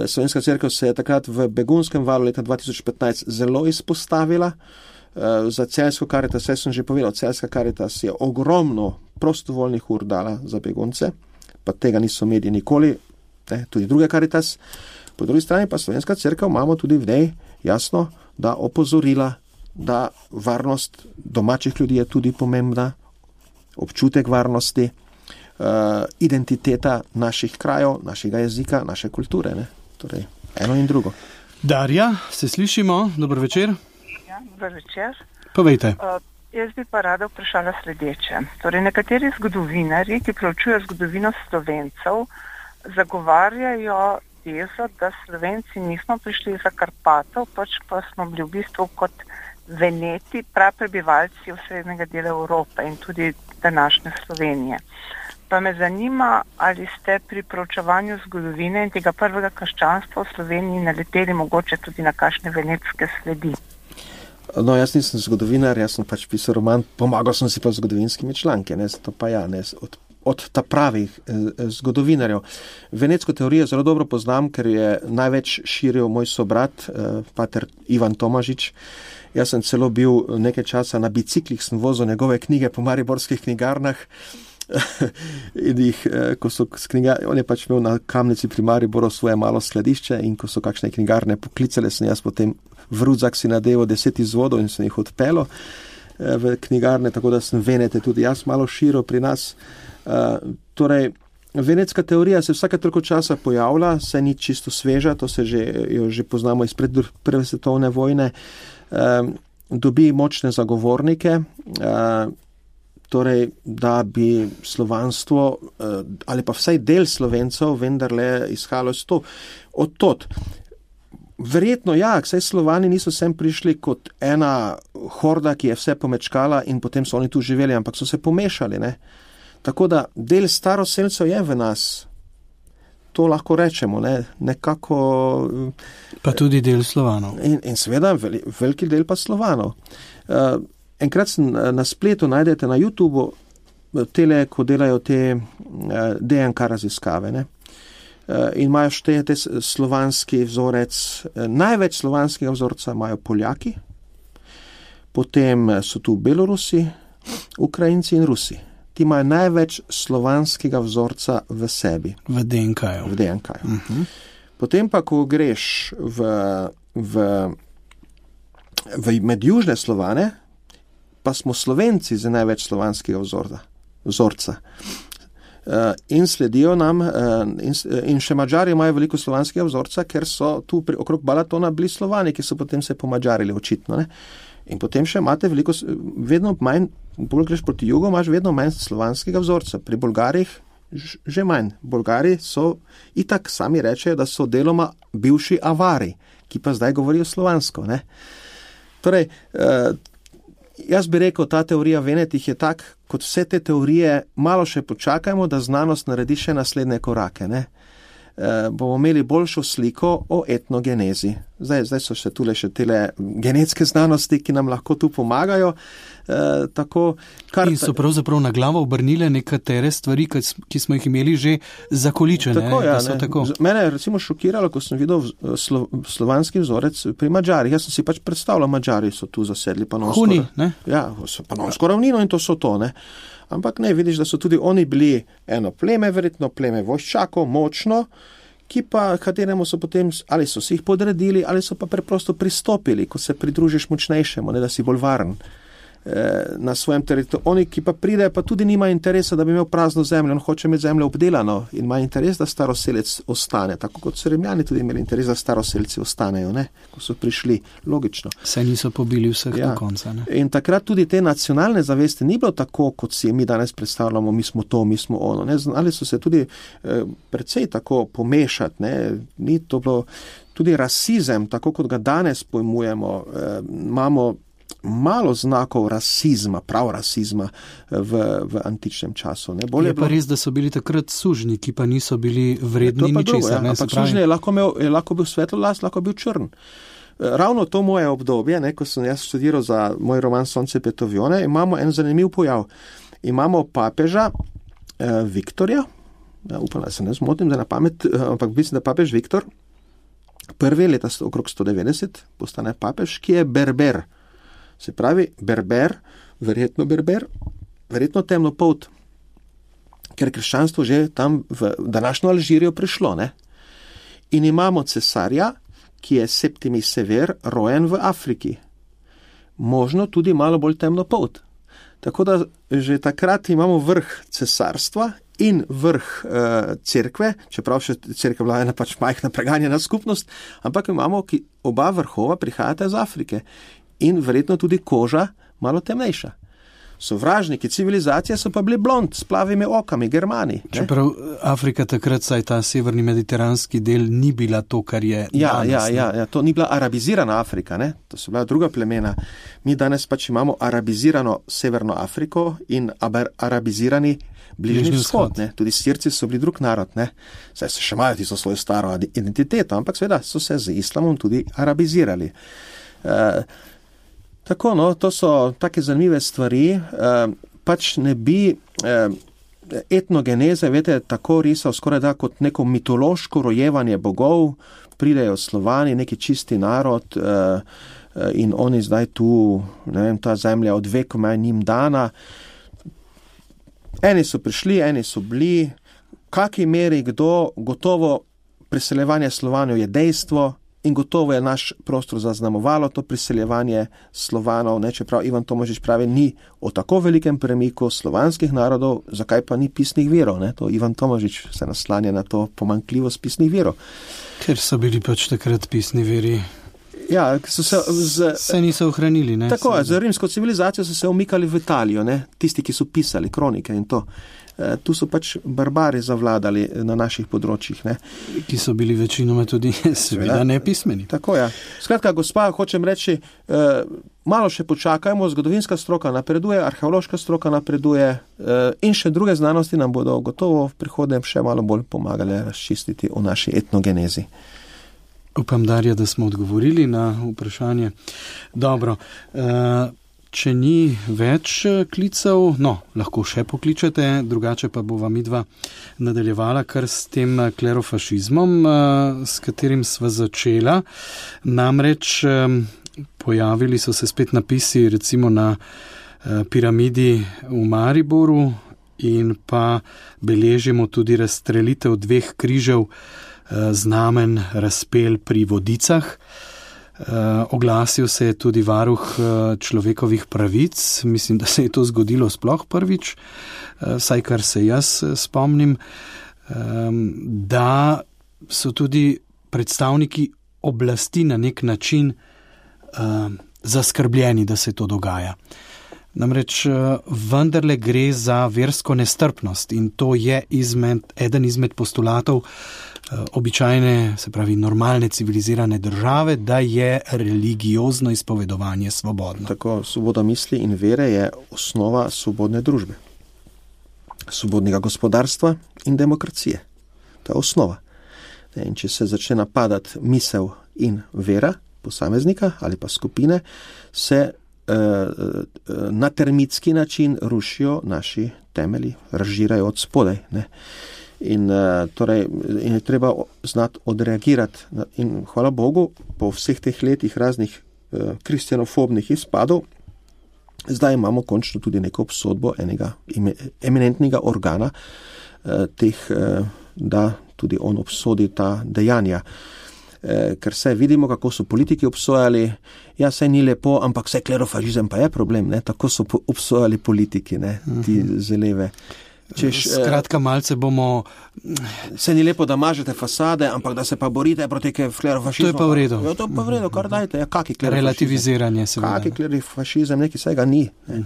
Slovenska cerkev se je takrat v begunskem valu leta dva tisoč petnajst zelo izpostavila. Eh, za Celjsko Karitas, vse sem že povedal, Celjska Karitas je ogromno prostovoljnih ur dala za begunce, pa tega niso mediji nikoli, ne, tudi druge Karitas. Po drugi strani pa Slovenska cerkev imamo tudi v njej jasno, da opozorila, da varnost domačih ljudi je tudi pomembna, občutek varnosti, uh, identiteta naših krajev, našega jezika, naše kulture. Ne? Torej, eno in drugo. Darja, se slišimo? Dober večer. Ja, dober večer. Povejte. Uh, jaz bi pa rada vprašala sledeče. Torej, nekateri zgodovinari, ki preučujejo zgodovino Slovencev, zagovarjajo tezo, da Slovenci nismo prišli za Karpatov, pač pa smo bili v bistvu kot Veneti, praprebivalci osrednjega dela Evrope in tudi današnje Slovenije. Pa me zanima, ali ste pri proučevanju zgodovine in tega prvega krščanstva v Sloveniji naleteli mogoče tudi na kakšne venetske sledi. No, jaz nisem zgodovinar, jaz sem pač pisal roman, pomagal sem si pa z zgodovinskimi članki, ne, to pa ja, ne, od, od ta pravih eh, zgodovinarjev. Venetsko teorijo zelo dobro poznam, ker je največ širil moj sobrat, eh, pater Ivan Tomažič. Jaz sem celo bil nekaj časa na biciklih, sem vozil njegove knjige po mariborskih knjigarnah. In jih, ko so knjiga, on je pač imel na Kamnici pri Mariboru svoje malo skladišče in ko so kakšne knjigarne poklicale, sem jaz potem v rudzak si nadeval deset izvodov in sem jih odpeljal v knjigarne, tako da sem Venete tudi jaz malo širil pri nas. Torej, venetska teorija se vsake toliko časa pojavlja, se ni čisto sveža, to se že, jo že poznamo iz pred prve svetovne vojne, dobi močne zagovornike, torej, da bi slovanstvo ali pa vsaj del Slovencev vendarle izhajalo iz to. Od tot. Verjetno ja, saj Slovani niso sem prišli kot ena horda, ki je vse pomečkala in potem so oni tu živeli, ampak so se pomešali. Ne? Tako da del staroselcev je v nas. To lahko rečemo, ne? Nekako... Pa tudi del Slovanov. In, in seveda veliki del pa Slovanov. Uh, Enkrat na spletu najdete na YouTubeu tele, ko delajo te D N K raziskave. Ne? In imajo štete slovanski vzorec. Največ slovanskega vzorca imajo Poljaki, potem so tu Belorusi, Ukrajinci in Rusi. Ti imajo največ slovanskega vzorca v sebi. V D N K-ju. V D N K-ju. Uh-huh. Potem pa, ko greš v, v, v med južne Slovane, pa smo Slovenci za največ slovanskega vzorca. vzorca. Uh, in sledijo nam, uh, in, in še Mađari imajo veliko slovanskega vzorca, ker so tu pri, okrog Balatona bili Slovani, ki so potem se pomađarili očitno. Ne? In potem še imate veliko, vedno manj, bolj greš proti jugu, imaš vedno manj slovanskega vzorca. Pri Bolgarih že manj. Bolgari so itak sami rečejo, da so deloma bivši Avari, ki pa zdaj govorijo slovansko. Ne? Torej, uh, jaz bi rekel, ta teorija Venetih je tak, kot vse te teorije, malo še počakajmo, da znanost naredi še naslednje korake. Ne? E, bomo imeli boljšo sliko o etnogenezi. Zdaj, zdaj so še tule še tele genetske znanosti, ki nam lahko tu pomagajo. E, tako, kar... In so pravzaprav na glavo obrnile nekatere stvari, ki smo jih imeli že zakoličene. Tako, ja, da so tako. Mene je recimo šokiralo, ko sem videl slo, slovanski vzorec pri Mađarih. Jaz sem si pač predstavljal, Mađari so tu zasedli Panonsko. Huni, ne? Ja, Panonsko ravnino in to so to, ne. Ampak ne, vidiš, da so tudi oni bili eno pleme, verjetno pleme vojščakov, močno, ki pa, kateremu so potem, ali so si jih podredili, ali so pa preprosto pristopili, ko se pridružiš močnejšemu, ne, da si bolj varen. na svojem teritoriju. Oni, ki pa pridejo, pa tudi nima interesa, da bi imel prazno zemljo, on hoče imeti zemljo obdelano in ima interes, da staroselec ostane, tako kot so Rimljani tudi imeli interes, da staroselci ostanejo, ne, ko so prišli, logično. Se niso pobili vseh ja. do konca, ne. In takrat tudi te nacionalne zavesti ni bilo tako, kot si mi danes predstavljamo, mi smo to, mi smo ono, ne, znali so se tudi eh, precej tako pomešati, ne, ni to bilo tudi rasizem, tako kot ga danes pojmujemo, eh, imamo malo znakov rasizma, prav rasizma v, v antičnem času. Ne? Je, je pa bilo... res, da so bili takrat sužnji, ki pa niso bili vredni ničesar. Ja. Ampak sužnji je lahko, imel, je lahko bil svetlolas, lahko bil črn. Ravno to moje obdobje, ne, ko sem jaz študiral za moj roman Sonce Petovione, imamo en zanimiv pojav. Imamo papeža eh, Viktorja, ja, upam, da se ne zmotim, da na pamet, ampak mislim, da papež Viktor, prvi leta okrog sto devetdeset, postane papež, ki je berber. Se pravi, berber, verjetno berber, verjetno temnopolt, ker krščanstvo že tam v današnjo Alžirijo prišlo, ne? In imamo cesarja, ki je Septimi Sever, rojen v Afriki. Možno tudi malo bolj temnopolt. Tako da že takrat imamo vrh cesarstva in vrh uh, cerkve, čeprav še cerkev bila ena pač majhna preganjena skupnost, ampak imamo, ki oba vrhova prihajata iz Afrike. In verjetno tudi koža malo temnejša. Sovražniki civilizacije so pa bili blond, s plavimi okami, Germani. Čeprav Afrika takrat, saj ta severni mediteranski del, ni bila to, kar je ja, danes. Ja, ja, ja, to ni bila arabizirana Afrika, ne? To so bila druga plemena. Mi danes pač imamo arabizirano Severno Afriko in arabizirani Bližnji vzhod. Ne? Tudi Sirci so bili drug narod, ne? Saj so še imajo tisto svojo staro identiteto, ampak seveda so se z islamom tudi arabizirali. Uh, Tako, no, to so take zanimive stvari, eh, pač ne bi eh, etnogeneze, vete, tako risal skoraj da kot neko mitološko rojevanje bogov, pridejo Slovani, neki čisti narod eh, in oni zdaj tu, ne vem, ta zemlja od vekoma je njim dana. Eni so prišli, eni so bili, kaki meri kdo, gotovo priseljevanje Slovanov je dejstvo, in gotovo je naš prostor zaznamovalo to priseljevanje Slovanov, ne, čeprav Ivan Tomažič pravi, ni o tako velikem premiku slovanskih narodov, zakaj pa ni pisnih virov, ne, to Ivan Tomažič se naslanja na to pomanjkljivost pisnih virov. Ker so bili pač takrat pisni viri. Ja, so se, z, se niso ohranili, ne? Tako je, z rimsko civilizacijo so se umikali v Italijo, ne, tisti, ki so pisali kronike in to. Tu so pač barbari zavladali na naših področjih, ne. Ki so bili večinoma tudi seveda nepismeni. Tako je. Skratka, gospa, hočem reči, eh, malo še počakajmo, zgodovinska stroka napreduje, arheološka stroka napreduje eh, in še druge znanosti nam bodo gotovo v prihodnjem še malo bolj pomagale razčistiti o naši etnogenezi. Upam, Darja, da smo odgovorili na vprašanje. Dobro, eh, če ni več klicev, no, lahko še pokličete, drugače pa bova midva nadaljevala kar s tem klerofašizmom, s katerim sva začela. Namreč pojavili so se spet napisi recimo na piramidi v Mariboru in pa beležimo tudi razstrelitev dveh križev znamen razpel pri Vodicah. Uh, oglasil se je tudi varuh uh, človekovih pravic, mislim, da se je to zgodilo sploh prvič, uh, vsaj kar se jaz uh, spomnim, um, da so tudi predstavniki oblasti na nek način uh, zaskrbljeni, da se to dogaja. Namreč uh, vendarle gre za versko nestrpnost in to je izmed, eden izmed postulatov običajne, se pravi normalne civilizirane države, da je religiozno izpovedovanje svobodno. Tako, svoboda misli in vere je osnova svobodne družbe, svobodnega gospodarstva in demokracije. To je osnova. In če se začne napadati misel in vera posameznika ali pa skupine, se eh, na termitski način rušijo naši temelji, razžirajo od spodaj, ne. In, torej, in je treba znati odreagirati. In hvala Bogu, po vseh teh letih raznih eh, kristjanofobnih izpadov, zdaj imamo končno tudi neko obsodbo enega eminentnega organa, eh, teh, eh, da tudi on obsodi ta dejanja. eh, ker se vidimo, kako so politiki obsojali, ja, saj ni lepo, ampak vse klerofašizem pa je problem, ne? Tako so po- obsojali politiki, ne? Ti zeleve. Češ, Skratka, malce bomo... Se ni lepo, da mažete fasade, ampak da se pa borite proti klerofašizmu. To je pa v redu. Ja, to je pa v redu, kar dajte. Ja, kaki klerofašizem? Relativiziranje, seveda. Kaki klerofašizem, nekaj vsega ni. Ne.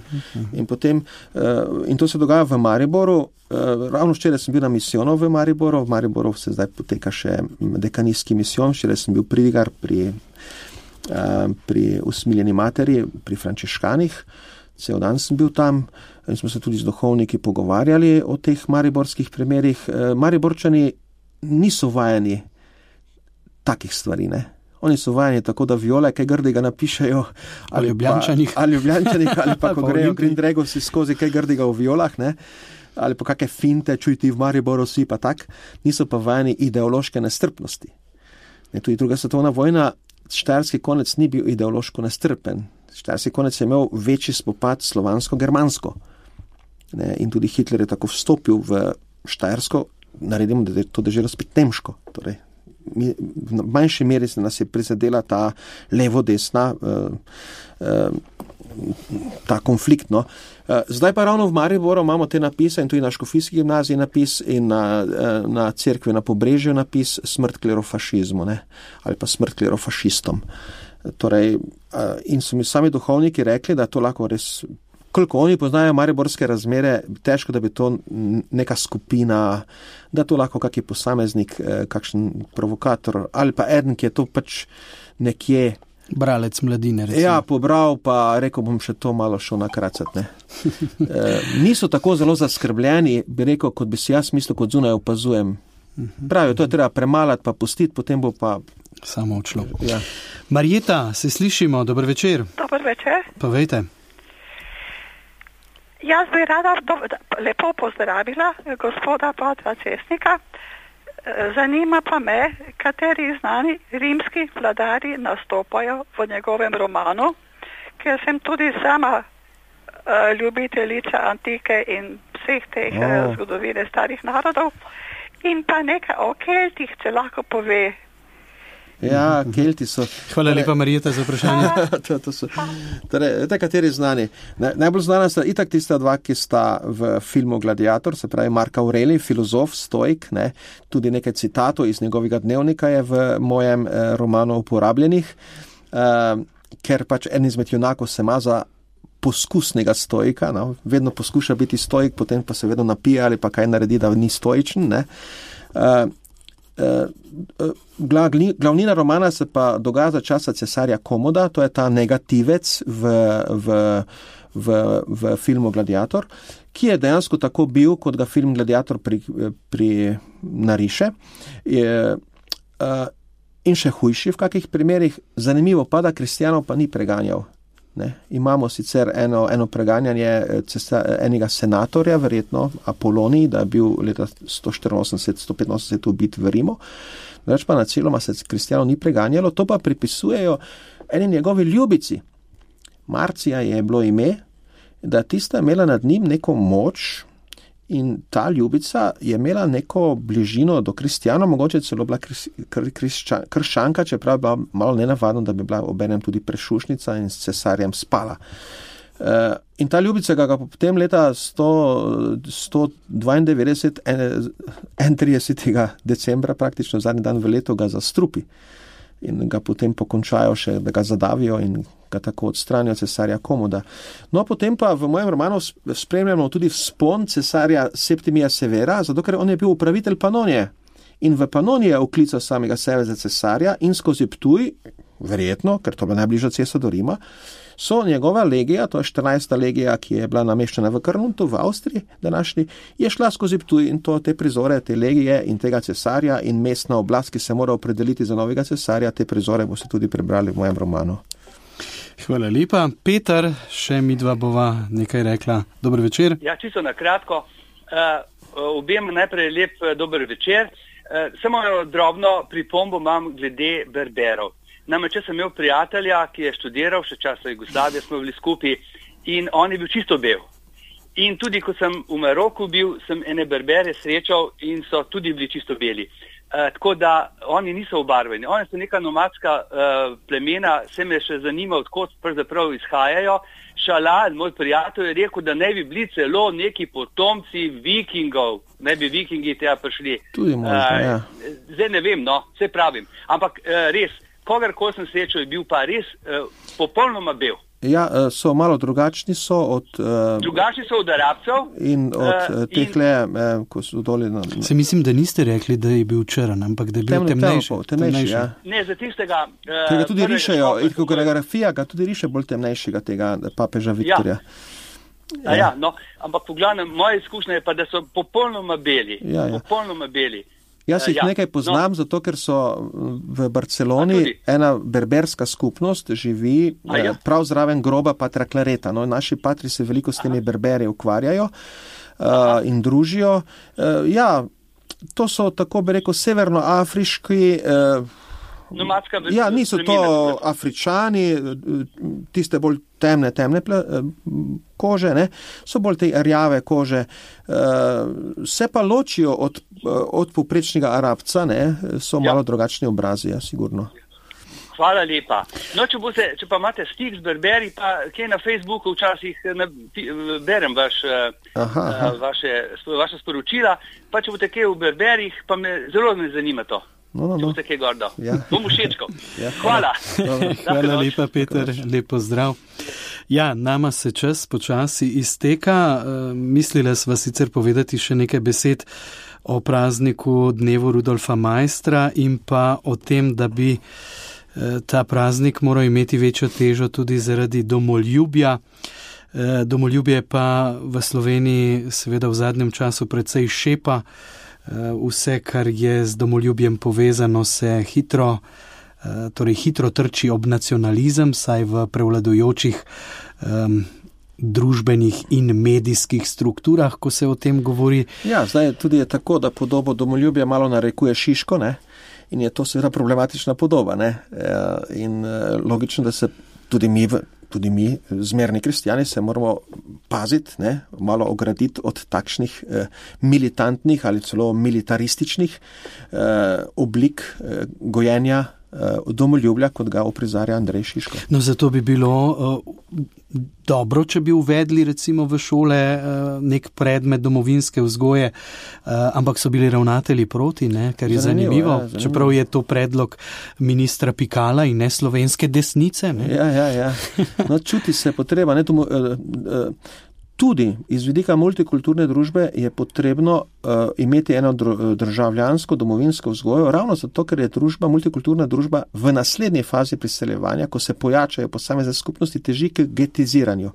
In, potem, uh, in to se dogaja v Mariboru. Uh, ravno včeraj sem bil na misijonu v Mariboru. V Mariboru se zdaj poteka še dekanijski misijon. Včeraj sem bil pridigar pri, uh, pri usmiljeni materi, pri frančiškanih. Cel dan sem bil tam in smo se tudi z duhovniki pogovarjali o teh mariborskih primerih. Mariborčani niso vajeni takih stvari, ne. Oni so vajeni tako, da viole kaj grdega napišejo. Ali Ljubljančanih. Ali Ljubljančanih, ali pa ko grejo Grindregosi skozi kaj grdega v violah, ne. Ali pa kakšne finte, čuj ti v Mariboru si pa tak. Niso pa vajeni ideološke nestrpnosti. Ne, tudi druga svetovna vojna, štajerski konec ni bil ideološko nestrpen. Štajerski konec je imel večji spopad slovansko-germansko. Ne, in tudi Hitler je tako vstopil v Štajersko, naredimo, da je to deželo spet nemško. Torej, mi, v manjši meri se nas je prizadela ta levo-desna, uh, uh, ta konflikt. No. Uh, zdaj pa ravno v Mariboru imamo te napise in tudi na Škofijski gimnaziji napis in na, uh, na cerkvi na Pobrežju napis smrt klerofašizmu, ne, ali pa smrt klerofašistom. Torej, uh, in so mi sami duhovniki rekli, da to lahko res... Koliko oni poznajo mariborske razmere, težko, da bi to neka skupina, da to lahko kakšen posameznik, kakšen provokator, ali pa eden, ki je to pač nekje... Bralec mladine, recimo. Ja, pobral, pa rekel bom še to malo šel nakracati, ne. e, niso tako zelo zaskrbljeni, bi rekel, kot bi si jaz mislil, kot zunaj opazujem. Pravijo, to je treba premalati, pa pustiti, potem bo pa... Samo odšlo. Ja. Marjeta, se slišimo, dober večer. Dober večer. Pa vejte. Jaz bi rada do, lepo pozdravila gospoda Patra Cesnika. Zanima pa me, kateri znani rimski vladarji nastopajo v njegovem romanu, ker sem tudi sama uh, ljubiteljica antike in vseh teh oh. uh, zgodovine starih narodov. In pa nekaj o Keltih, če lahko pove. Ja, Kelti so. Hvala lepa, Marjeta, za vprašanje. to, to so. Torej, te kateri znani? Najbolj znana sta itak tista dva, ki sta v filmu Gladiator, se pravi Mark Aurelij, filozof, stoik, ne? Tudi nekaj citatov iz njegovega dnevnika je v mojem eh, romanu uporabljenih, eh, ker pač en izmed junakov se ima za poskusnega stoika, no? Vedno poskuša biti stoik, potem pa se vedno napije ali pa kaj naredi, da ni stoičen, ne? Eh, Uh, uh, glavnina romana se pa dogaja za časa cesarja Komoda, to je ta negativec v, v, v, v filmu Gladiator, ki je dejansko tako bil, kot ga film Gladiator pri, pri nariše. Je, uh, in še hujši v kakih primerih. Zanimivo pa, da kristjanov pa ni preganjal. Ne. Imamo sicer eno, eno preganjanje cesta, enega senatorja, verjetno Apolonij, da je bil leta sto štiriinosemdeset sto petinosemdeset ubit v Rimu. Več pa na celoma se kristjanov ni preganjalo, to pa pripisujejo eni njegovi ljubici. Marcija je bilo ime, da tista imela nad njim neko moč in ta ljubica je imela neko bližino do kristjanov, mogoče celo bila kris, kr, krščan, krščanka, čeprav je bila malo nenavadno, da bi bila obenem tudi prešušnica in s cesarjem spala. Uh, in ta ljubica ga, ga potem leta sto dvaindevetdeset, enaintridesetega decembra, praktično zadnji dan v letu, ga zastrupi. In ga potem pokončajo še, da ga zadavijo in ga tako odstranijo cesarja Komoda. No, potem pa v mojem romanu spremljamo tudi vzpon cesarja Septimija Severa, zato ker on je bil upravitelj Panonije. In v Panoniji je oklical samega sebe za cesarja in skozi Ptuj, verjetno, ker to je bila najbližja cesta do Rima, so njegova legija, to je štirinajsta legija, ki je bila nameščena v Krnuntu v Avstriji današnji, je šla skozi Ptuj in to te prizore, te legije in tega cesarja in mestna oblast, ki se mora opredeliti za novega cesarja, te prizore boste tudi prebrali v mojem romanu. Hvala lepa. Peter, še mi dva bova nekaj rekla. Dober večer. Ja, čisto na kratko. Uh, objem najprej lep dober večer. Uh, samo drobno pripombo imam glede berberov. Namreč, če sem imel prijatelja, ki je študiral, še časa Jugoslavije smo bili skupaj in on je bil čisto bel. In tudi, ko sem v Maroku bil, sem ene berbere srečal in so tudi bili čisto beli. Uh, tako da oni niso obarveni. Oni so neka nomadska uh, plemena, se me še zanima, odkot pravzaprav izhajajo. Šalal, moj prijatelj, je rekel, da ne bi bili celo neki potomci vikingov, ne bi vikingi tega prišli. Tudi možno, uh, ja. Zdaj ne vem, no, vse pravim. Ampak uh, res, kogarkoli sem srečal, je bil pa res uh, popolnoma bel. Ja, so malo drugačni so od... Uh, drugačni so od Arabcev. In od uh, tehle, in... eh, ko so doli... Na, na... Se mislim, da niste rekli, da je bil črn, ampak da je bil Temne, temnejši. Temnejši, temnejši, ja. Ne, za tistega... Uh, tega tudi rišejo, ikonografija ga tudi riše bolj temnejšega tega papeža Viktorja. Ja, ja. ja no, ampak v glavnem, moja izkušnja je pa, da so popolnoma beli. Ja, ja. Popolnoma beli. Jaz jih ja, nekaj poznam, no. Zato ker so v Barceloni ena berberska skupnost živi ja. prav zraven groba Patra Clareta. No, naši patri se veliko s temi berberi ukvarjajo uh, in družijo. Uh, ja, to so, tako bi rekel, severnoafriški... Uh, ja, niso to Afričani, tiste bolj temne, temne kože, ne? So bolj te rjave kože. Se pa ločijo od, od povprečnega Arabca, ne? So malo ja. drugačni obrazi, ja, sigurno. Hvala lepa. No, če, boste, če pa imate stik z berberi, pa kje na Facebooku včasih na, berem vaš, aha, aha. Vaše, vaše sporočila, pa če boste kje v berberih, pa me zelo me zanima to. No, no, no. Če boste kaj gordo. Ja. Bom všečkal. Ja. Hvala. Hvala lepa, Peter. Lepo zdrav. Ja, nama se čas počasi izteka. Mislila sva sicer povedati še nekaj besed o prazniku dnevu Rudolfa Maistra in pa o tem, da bi ta praznik moral imeti večjo težo tudi zaradi domoljubja. Domoljubje pa v Sloveniji seveda v zadnjem času precej šepa. Vse, kar je z domoljubjem povezano, se hitro, torej hitro trči ob nacionalizem, saj v prevladujočih um, družbenih in medijskih strukturah, ko se o tem govori. Ja, zdaj tudi je tako, da podobo domoljubja malo narekuje Šiško, ne? In je to seveda problematična podoba, ne? In logično, da se tudi mi v Tudi mi, zmerni kristjani, se moramo paziti, ne, malo ograditi od takšnih eh, militantnih ali celo militarističnih eh, oblik eh, gojenja eh, domoljubja, kot ga oprizarja Andrej Šiško. No, zato bi bilo uh, dobro, če bi uvedli recimo v šole uh, nek predmet domovinske vzgoje, uh, ampak so bili ravnatelji proti, ne, kar je zanimivo, zanimivo, ja, zanimivo. Čeprav je to predlog ministra Pikala in ne slovenske desnice. Ne. Ja, ja, ja. No, čuti se potreba. Ne, tomu, uh, uh, tudi iz vidika multikulturne družbe je potrebno uh, imeti eno državljansko domovinsko vzgojo, ravno zato, ker je družba, multikulturna družba v naslednji fazi priseljevanja, ko se pojačajo posamezne skupnosti, teži k getiziranju.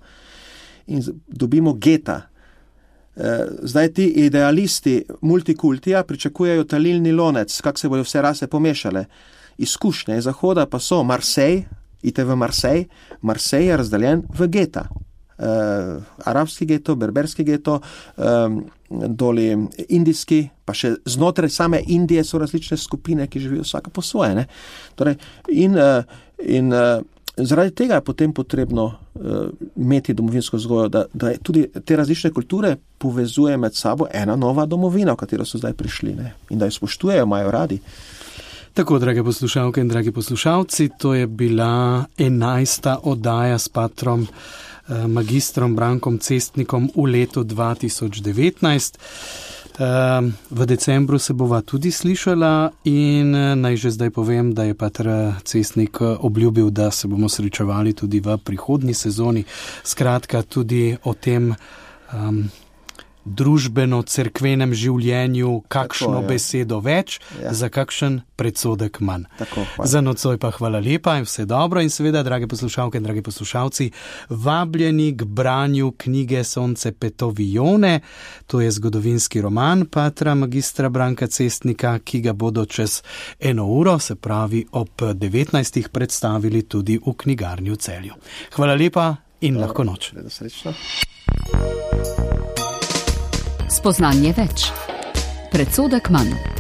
In dobimo geta. Zdaj ti idealisti multikultija pričakujejo talilni lonec, kak se bodo vse rase pomešale. Izkušnje iz Zahoda pa so Marseille, ite v Marseille, Marseille je razdeljen v geta. Uh, arabski geto, berberski geto, um, doli indijski, pa še znotraj same Indije so različne skupine, ki živijo vsaka po svoje. Ne? Torej, in uh, in uh, zaradi tega je potem potrebno uh, imeti domovinsko vzgojo, da, da tudi te različne kulture povezuje med sabo ena nova domovina, v katero so zdaj prišli, ne? In da jo spoštujejo, imajo radi. Tako, drage poslušalke in dragi poslušalci, to je bila enajsta oddaja s patrom magistrom Brankom Cestnikom v letu dva tisoč devetnajst. V decembru se bova tudi slišala in naj že zdaj povem, da je pater Cestnik obljubil, da se bomo srečevali tudi v prihodnji sezoni. Skratka, tudi o tem um, družbeno-cerkvenem življenju, kakšno tako, besedo več, ja. Za kakšen predsodek manj. Tako, za nocoj pa hvala lepa in vse dobro in seveda, drage poslušalke in dragi poslušalci, vabljeni k branju knjige Sonce Petovione, to je zgodovinski roman patra magistra Branka Cestnika, ki ga bodo čez eno uro, se pravi ob devetnajstih, predstavili tudi v knjigarni v Celju. Hvala lepa in lahko noč. Srečno. Spoznanje več. Predsodek manj.